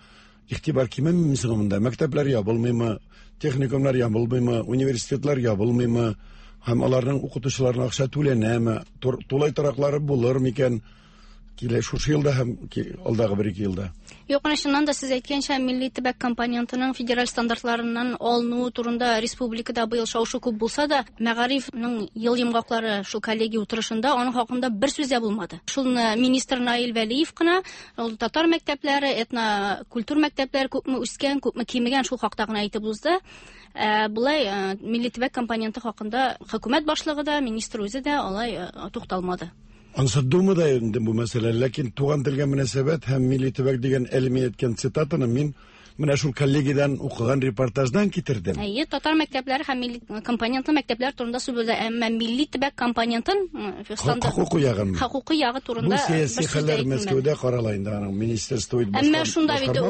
игътибар кимемме соң монда? Мәктәпләр ябылмыймы, техникумнар ябылмыймы, университетлар ябылмыймы? Һәм аларның укытучыларына акча түләнәме? Тулай тораклары булыр микән? Килә шушы елда һәм алдагы бер ике елда. Юк, менә чыннан да сез әйткәнчә, милли төбәк компонентының федераль стандартларыннан алынуы турында республикада быел шау-шу күп булса да, мәгарифның ел йомгаклары шул коллегия утырышында аның хакында бер сүз дә булмады. Шулны министр Наил Вәлиев кына, ул татар мәктәпләре, этнокультур мәктәпләре күпме үскән, күпме кимегән шул хакта гына әйтеп узды. Ә болай милли төбәк компоненты хакында хөкүмәт башлыгы да, министр үзе дә алай тукталмады. Ансы Думада инде бу мәсьәлә, ләкин туган телгә мөнәсәбәт һәм милли төбәк дигән әле мин әйткән цитатаны мин менә шул коллегиядан укыган репортаждан китердем. Әйе, татар мәктәпләре һәм милли компонентлы мәктәпләр турында сүз булды, әмма милли төбәк компонентын хокукый ягын, хокукый ягы турында бу сәяси хәлләр Мәскәүдә карала инде, аның министерство Әмма шунда бит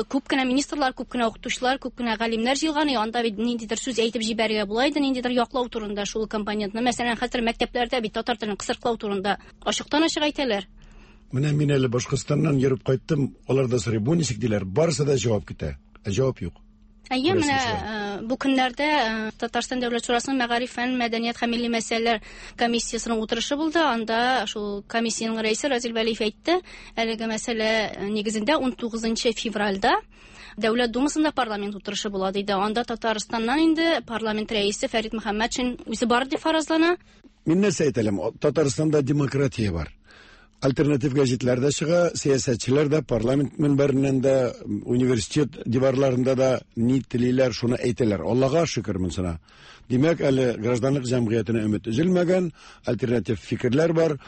күп кенә министрлар, күп кенә укытучылар, күп кенә галимнәр җыелган, анда бит ниндидер сүз әйтеп җибәрергә була иде, ниндидер яклау турында шул компонентны. Мәсәлән, хәзер мәктәпләрдә бит татар телен кысрыклау турында ачыктан-ачык әйтәләр. Менә мин әле Башкортстаннан йөреп кайттым, алар да сорый, бу ничек диләр, барысы да җавап көтә, ә җавап юк. Әйе, менә бу көннәрдә Татарстан Дәүләт Шурасының Мәгариф, фән, мәдәният һәм милли мәсьәләләр комиссиясенең утырышы булды. Анда шул комиссиянең рәисе Разил Вәлиев әйтте, әлеге мәсьәлә нигезендә ун тугызынчы февральдә Дәүләт Думасында парламент утырышы була диде. Анда Татарстаннан инде парламент рәисе Фәрит Мөхәммәтшин үзе бар дип фаразлана. Мин нәрсә әйтәлем, Татарстанда демократия бар. Альтернатив гәзитләр дә чыга, сәясәтчеләр дә парламент мөнбәреннән дә, университет диварларында да ни телиләр, шуны әйтәләр. Аллага шөкер монсына. Димәк, әле гражданлык җәмгыятенә өмет өзелмәгән, альтернатив фикерләр бар.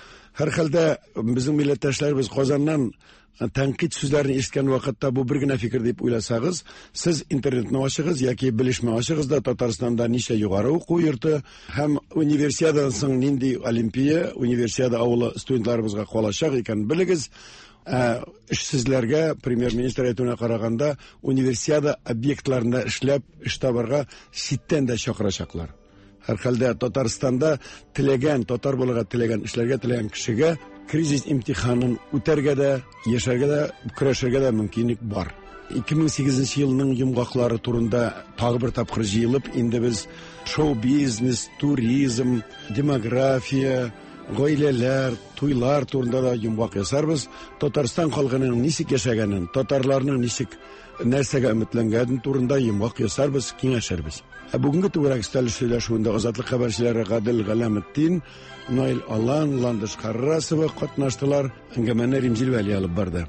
Һәр хәлдә безнең милләттәшләребез Казаннан Тәнкыйть сүзләрен ишеткән вакытта бу бер генә фикер дип уйласагыз, сез интернетны ачыгыз яки белешмә ачыгыз да Татарстанда ничә югары уку йорты һәм универсиададан соң нинди олимпия, универсиада авылы студентларыбызга калачак икән белегез. Ә эшсезләргә премьер-министр әйтүенә караганда универсиада объектларында эшләп эш табарга читтән дә чакырачаклар. Һәр хәлдә Татарстанда теләгән, татар булырга теләгән, эшләргә теләгән кешегә кризис имтиханын үтәргә дә, яшәргә дә, көрәшергә дә мөмкинлек бар. ике мең сигезенче елның йомгаклары турында тагы бер тапкыр җыелып, инде без шоу-бизнес, туризм, демография, гаиләләр, туйлар турында да йомгак ясарбыз. Татарстан халкының ничек яшәгәнен, татарларның ничек нәрсәгә өметләнгәнен турында йомгак ясарбыз, киңәшербез. Ә бүгенге түгәрәк өстәл сөйләшүендә Азатлык хәбәрчеләре Гадел Галәметдин, Наил Алан, Ландыш Харрасова катнаштылар. Әңгәмәне Римзил Вәли алып барды.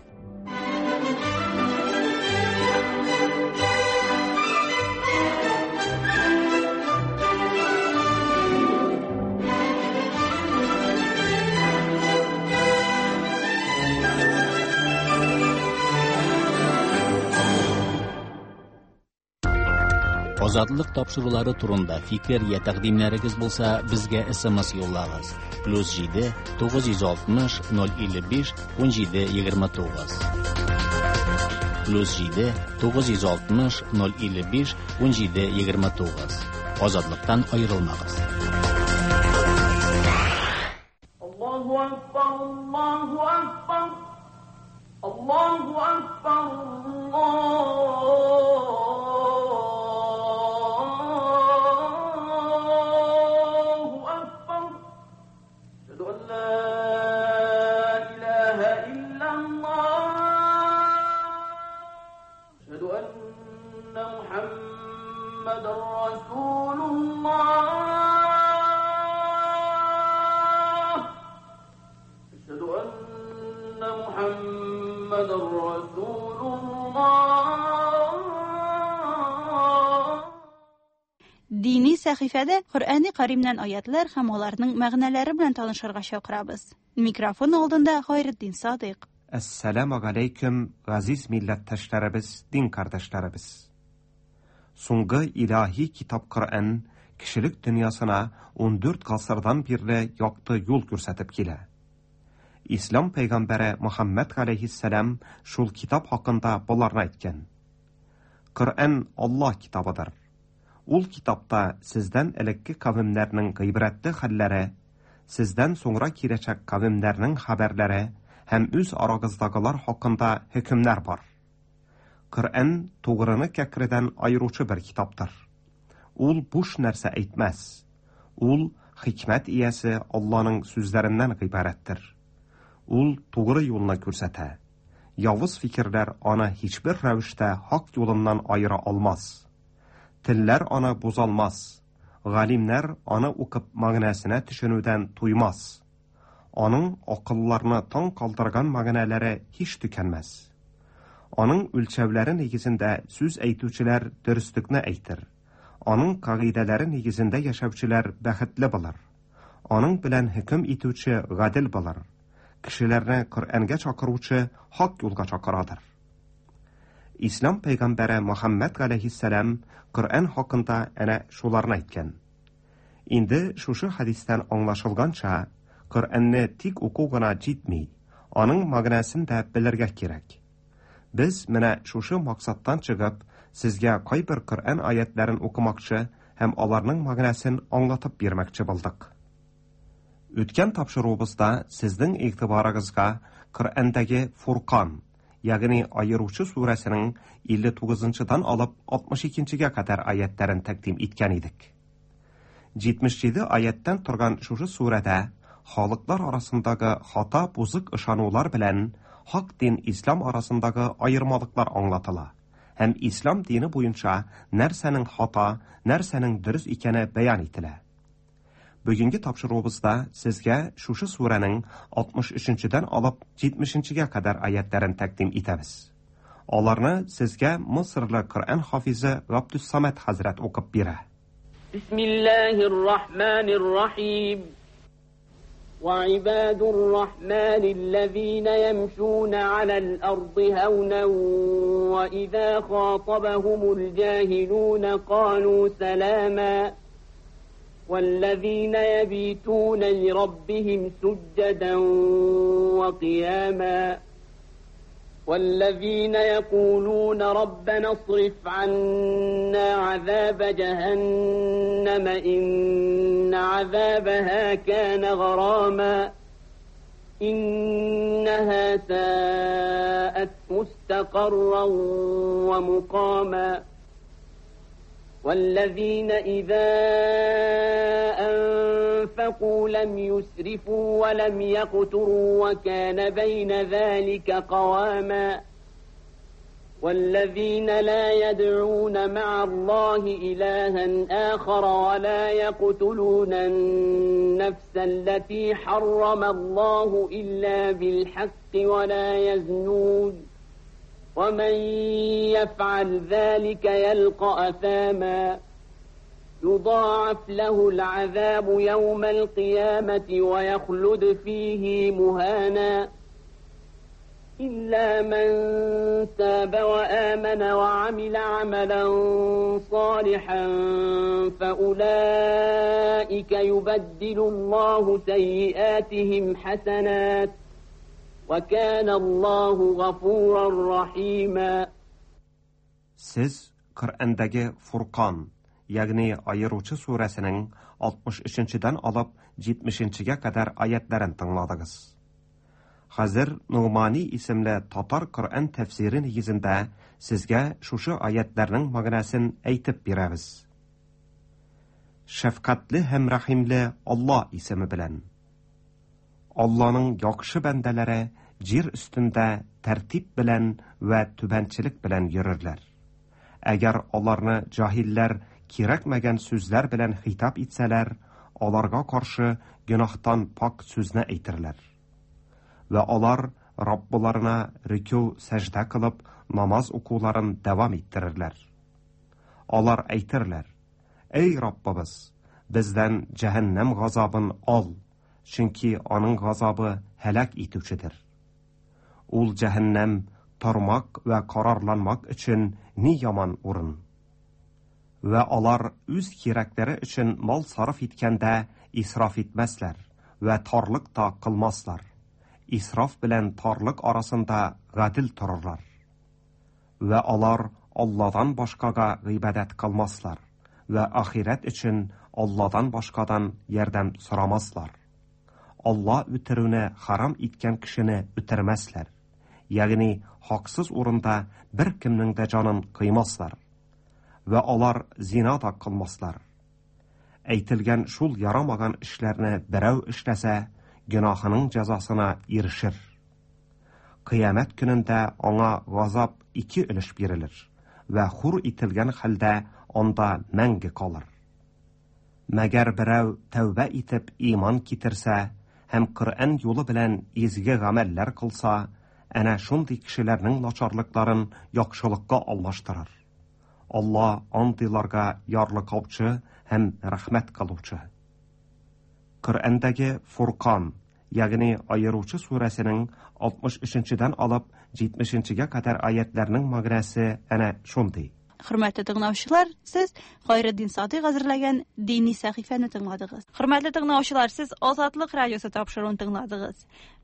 Азатлык тапшырулары турында фикер я тәкъдимнәрегез булса, безгә С М С юллагыз. Плюс җиде тугыз йөз алтмыш ноль илле биш ун җиде егерме тугыз. Плюс җиде тугыз йөз алтмыш ноль илле биш ун җиде егерме тугыз. Азатлыктан аерылмагыз. Аллаһу акбар, Аллаһу акбар. Аллаһу акбар, Дини сәхифәдә Коръәни Кәримнән аятлар һәм аларның мәгънәләре белән танышырга чакырабыз. Микрофон алдында Хайретдин Садыйк. Әссәламу алейкум, газиз милләттәшләребез, дин кардәшләребез. Соңгы илаһи китап Коръән кешелек дөньясына ун дүрт гасырдан бирле якты юл күрсәтеп килә. Ислам пәйгамбәре Мөхәммәд галәйһиссәлам шул китап хакында боларны әйткән. Коръән Аллаһ китабыдыр. Ул китапта сездән элекке кавемнәрнең гыйбрәтле хәлләре, сездән соңра киләчәк кавемнәрнең хәбәрләре һәм үз арагыздагылар хакында хөкемнәр бар. Коръән тугрыны кәкредән аеручы бер китаптыр. Ул буш нәрсә әйтмәс. Ул хикмәт иясе Алланың сүзләреннән гыйбарәттер. Ул тугры юлны күрсәтә. Явыз фикерләр аны һичбер рәвештә хак юлыннан аера алмас. Телләр аны бозалмас. Галимнәр аны укып мәгънәсенә төшенүдән туймас. Аның акылларны таң калдырган мәгънәләре һич төкәнмәс. Аның үлчәүләре нигезендә сүз әйтүчеләр дөреслекне әйтер. Аның кагыйдәләре нигезендә яшәүчеләр бәхетле булыр. Аның белән хөкем итүче гадел булыр. Кешеләрне Коръәнгә чакыручы хак юлга чакырадыр. Ислам пәйгамбәре Мөхәммәд галәйһиссәлам Коръән хакында әнә шуларны әйткән. Инде шушы хәдистән аңлашылганча, Коръәнне тик уку гына җитми, аның мәгънәсен дә белергә кирәк. Без менә шушы максаттан чыгып, сезгә кайбер Коръән аятларын укымакчы һәм аларның мәгънәсен аңлатып бирмәкче булдык. Үткән тапшыруыбызда сезнең игътибарыгызга Коръәндәге Фуркан, ягъни Аеручы сүрәсенең илле тугызынчыдан алып алтмыш икенчегә кадәр аятларын тәкъдим иткән идек. җитмеш җиде аяттан торган шушы сүрәдә халыклар арасындагы хата бузык ышанулар белән хак дин ислам арасындагы аермалыклар аңлатыла һәм ислам дине буенча нәрсәнең хата, нәрсәнең дөрес икәне бәян ителә. Бүгенге тапшыруыбызда сезгә шушы сүрәнең алтмыш өченчедән алып җитмешенчегә кадәр аятларын тәкъдим итәбез. Аларны сезгә Мисырлы Коръән хафизы Габдус-Самад хәзрәт укып бирә. Бисмиллаһир-рахманир-рахим. وعباد الرحمن الذين يمشون على الأرض هونا وإذا خاطبهم الجاهلون قالوا سلاما والذين يبيتون لربهم سجدا وقياما والذين يقولون ربنا اصرف عنا عذاب جهنم إن عذابها كان غراما إنها ساءت مستقرا ومقاما والذين إذا أنفقوا لم يسرفوا ولم يقتروا وكان بين ذلك قواما والذين لا يدعون مع الله إلها آخر ولا يقتلون النفس التي حرم الله إلا بالحق ولا يزنون ومن يفعل ذلك يلقى أثاما يضاعف له العذاب يوم القيامة ويخلد فيه مهانا إلا من تاب وآمن وعمل عملا صالحا فأولئك يبدل الله سيئاتهم حسنات وكان الله غفورا رحيما. Siz Qur'ondagi Furqon, ya'ni ayiruvchi surasining oltmish uchinchidan olib yetmishinchiga qadar oyatlarini tingladingiz. Hozir Nu'mani ismli tatar Qur'on tafsiri negizida sizga shushu oyatlarning ma'nosini aytib beramiz. Shafqatli ham rahimli Alloh ismi bilan. Allohning yaxshi bandalari yer ustida tartib bilan va tubanchilik bilan yurirlar. Agar ularni johillar kerakmagan so'zlar bilan xitob etsalar, ularga qarshi gunohdan pok so'zni aytirlar. Va ular Robbilarına ruku sajda qilib namoz o'quvlarini davom ettirirlar. Ular aytirlar: "Ey Robbimiz, bizdan jahannam g'azobini ol, chunki uning g'azobi halak etuvchidir. Ul jahannam tarmoq va qarorlanmoq uchun ne yomon o'rin." Va ular o'z keraklari uchun mol sarf etganda isrof etmaslar va torliq ta qilmaslar. Isrof bilan torliq orasida adil tururlar. Va ular Allohdan boshqaga ibodat qilmaslar va oxirat uchun Allohdan boshqadan yordam so'ramaslar. Alloh o'tiruvni harom etgan kishini o'tirmaslar. Ya'ni haqsiz o'rinda bir kimning da jonini qiymaslar. Va ular zino da qilmaslar. Aytilgan shul yaramagan ishlarni birov ishlasa, gunohining jazosini erishir. Qiyomat kunida unga g'azob ikki ulush berilir va xur etilgan holda unda mangi qolar. Magar birov tavba etib iymon keltirsa, ham Qur'on yo'li bilan ezgu amallar qilsa, ana shunday kishilarning nacharliklarini yaxshilikqa almashtirar. Alloh ondaylarga yorliqovchi ham rahmat qiluvchi. Qur'ondagi Furqon, ya'ni ayiruvchi surasining oltmish uchinchidan olib yetmishinchiga qadar oyatlarning ma'nosi ana shunday. Hurmatli tinglovchilar, siz Xayriddin Sodiq hazırlagan diniy sahifani tingladingiz. Hurmatli tinglovchilar, siz Ozodlik radiosi topshirig'ini tingladingiz.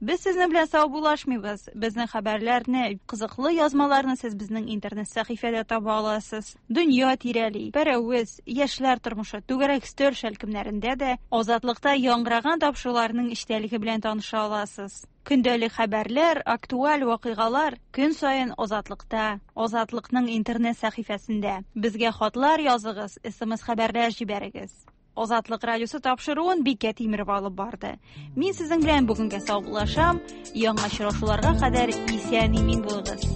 Biz sizni bilan savbulashmaymiz. Bizning xabarlarni, qiziqli yozmalarni siz bizning internet sahifada topa olasiz. Dunyo tirali, Paraviz, yoshlar turmushi, to'garak stol shalkimlarida da Ozodlikda yangragan topshiriqlarning ishtaligi bilan tanisha olasiz. Күндәлек хәбәрләр, актуаль вакыйгалар көн саен Озатлыкта, Озатлыкның интернет сәхифәсендә. Безгә хатлар языгыз, эс эм эс хәбәрләр җибәрегез. Озатлык радиосы тапшыруын Бикә Тимирова алып барды. Мин сезнең белән бүгенгә саубуллашам. Яңа очрашуларга кадәр исән-имин булыгыз.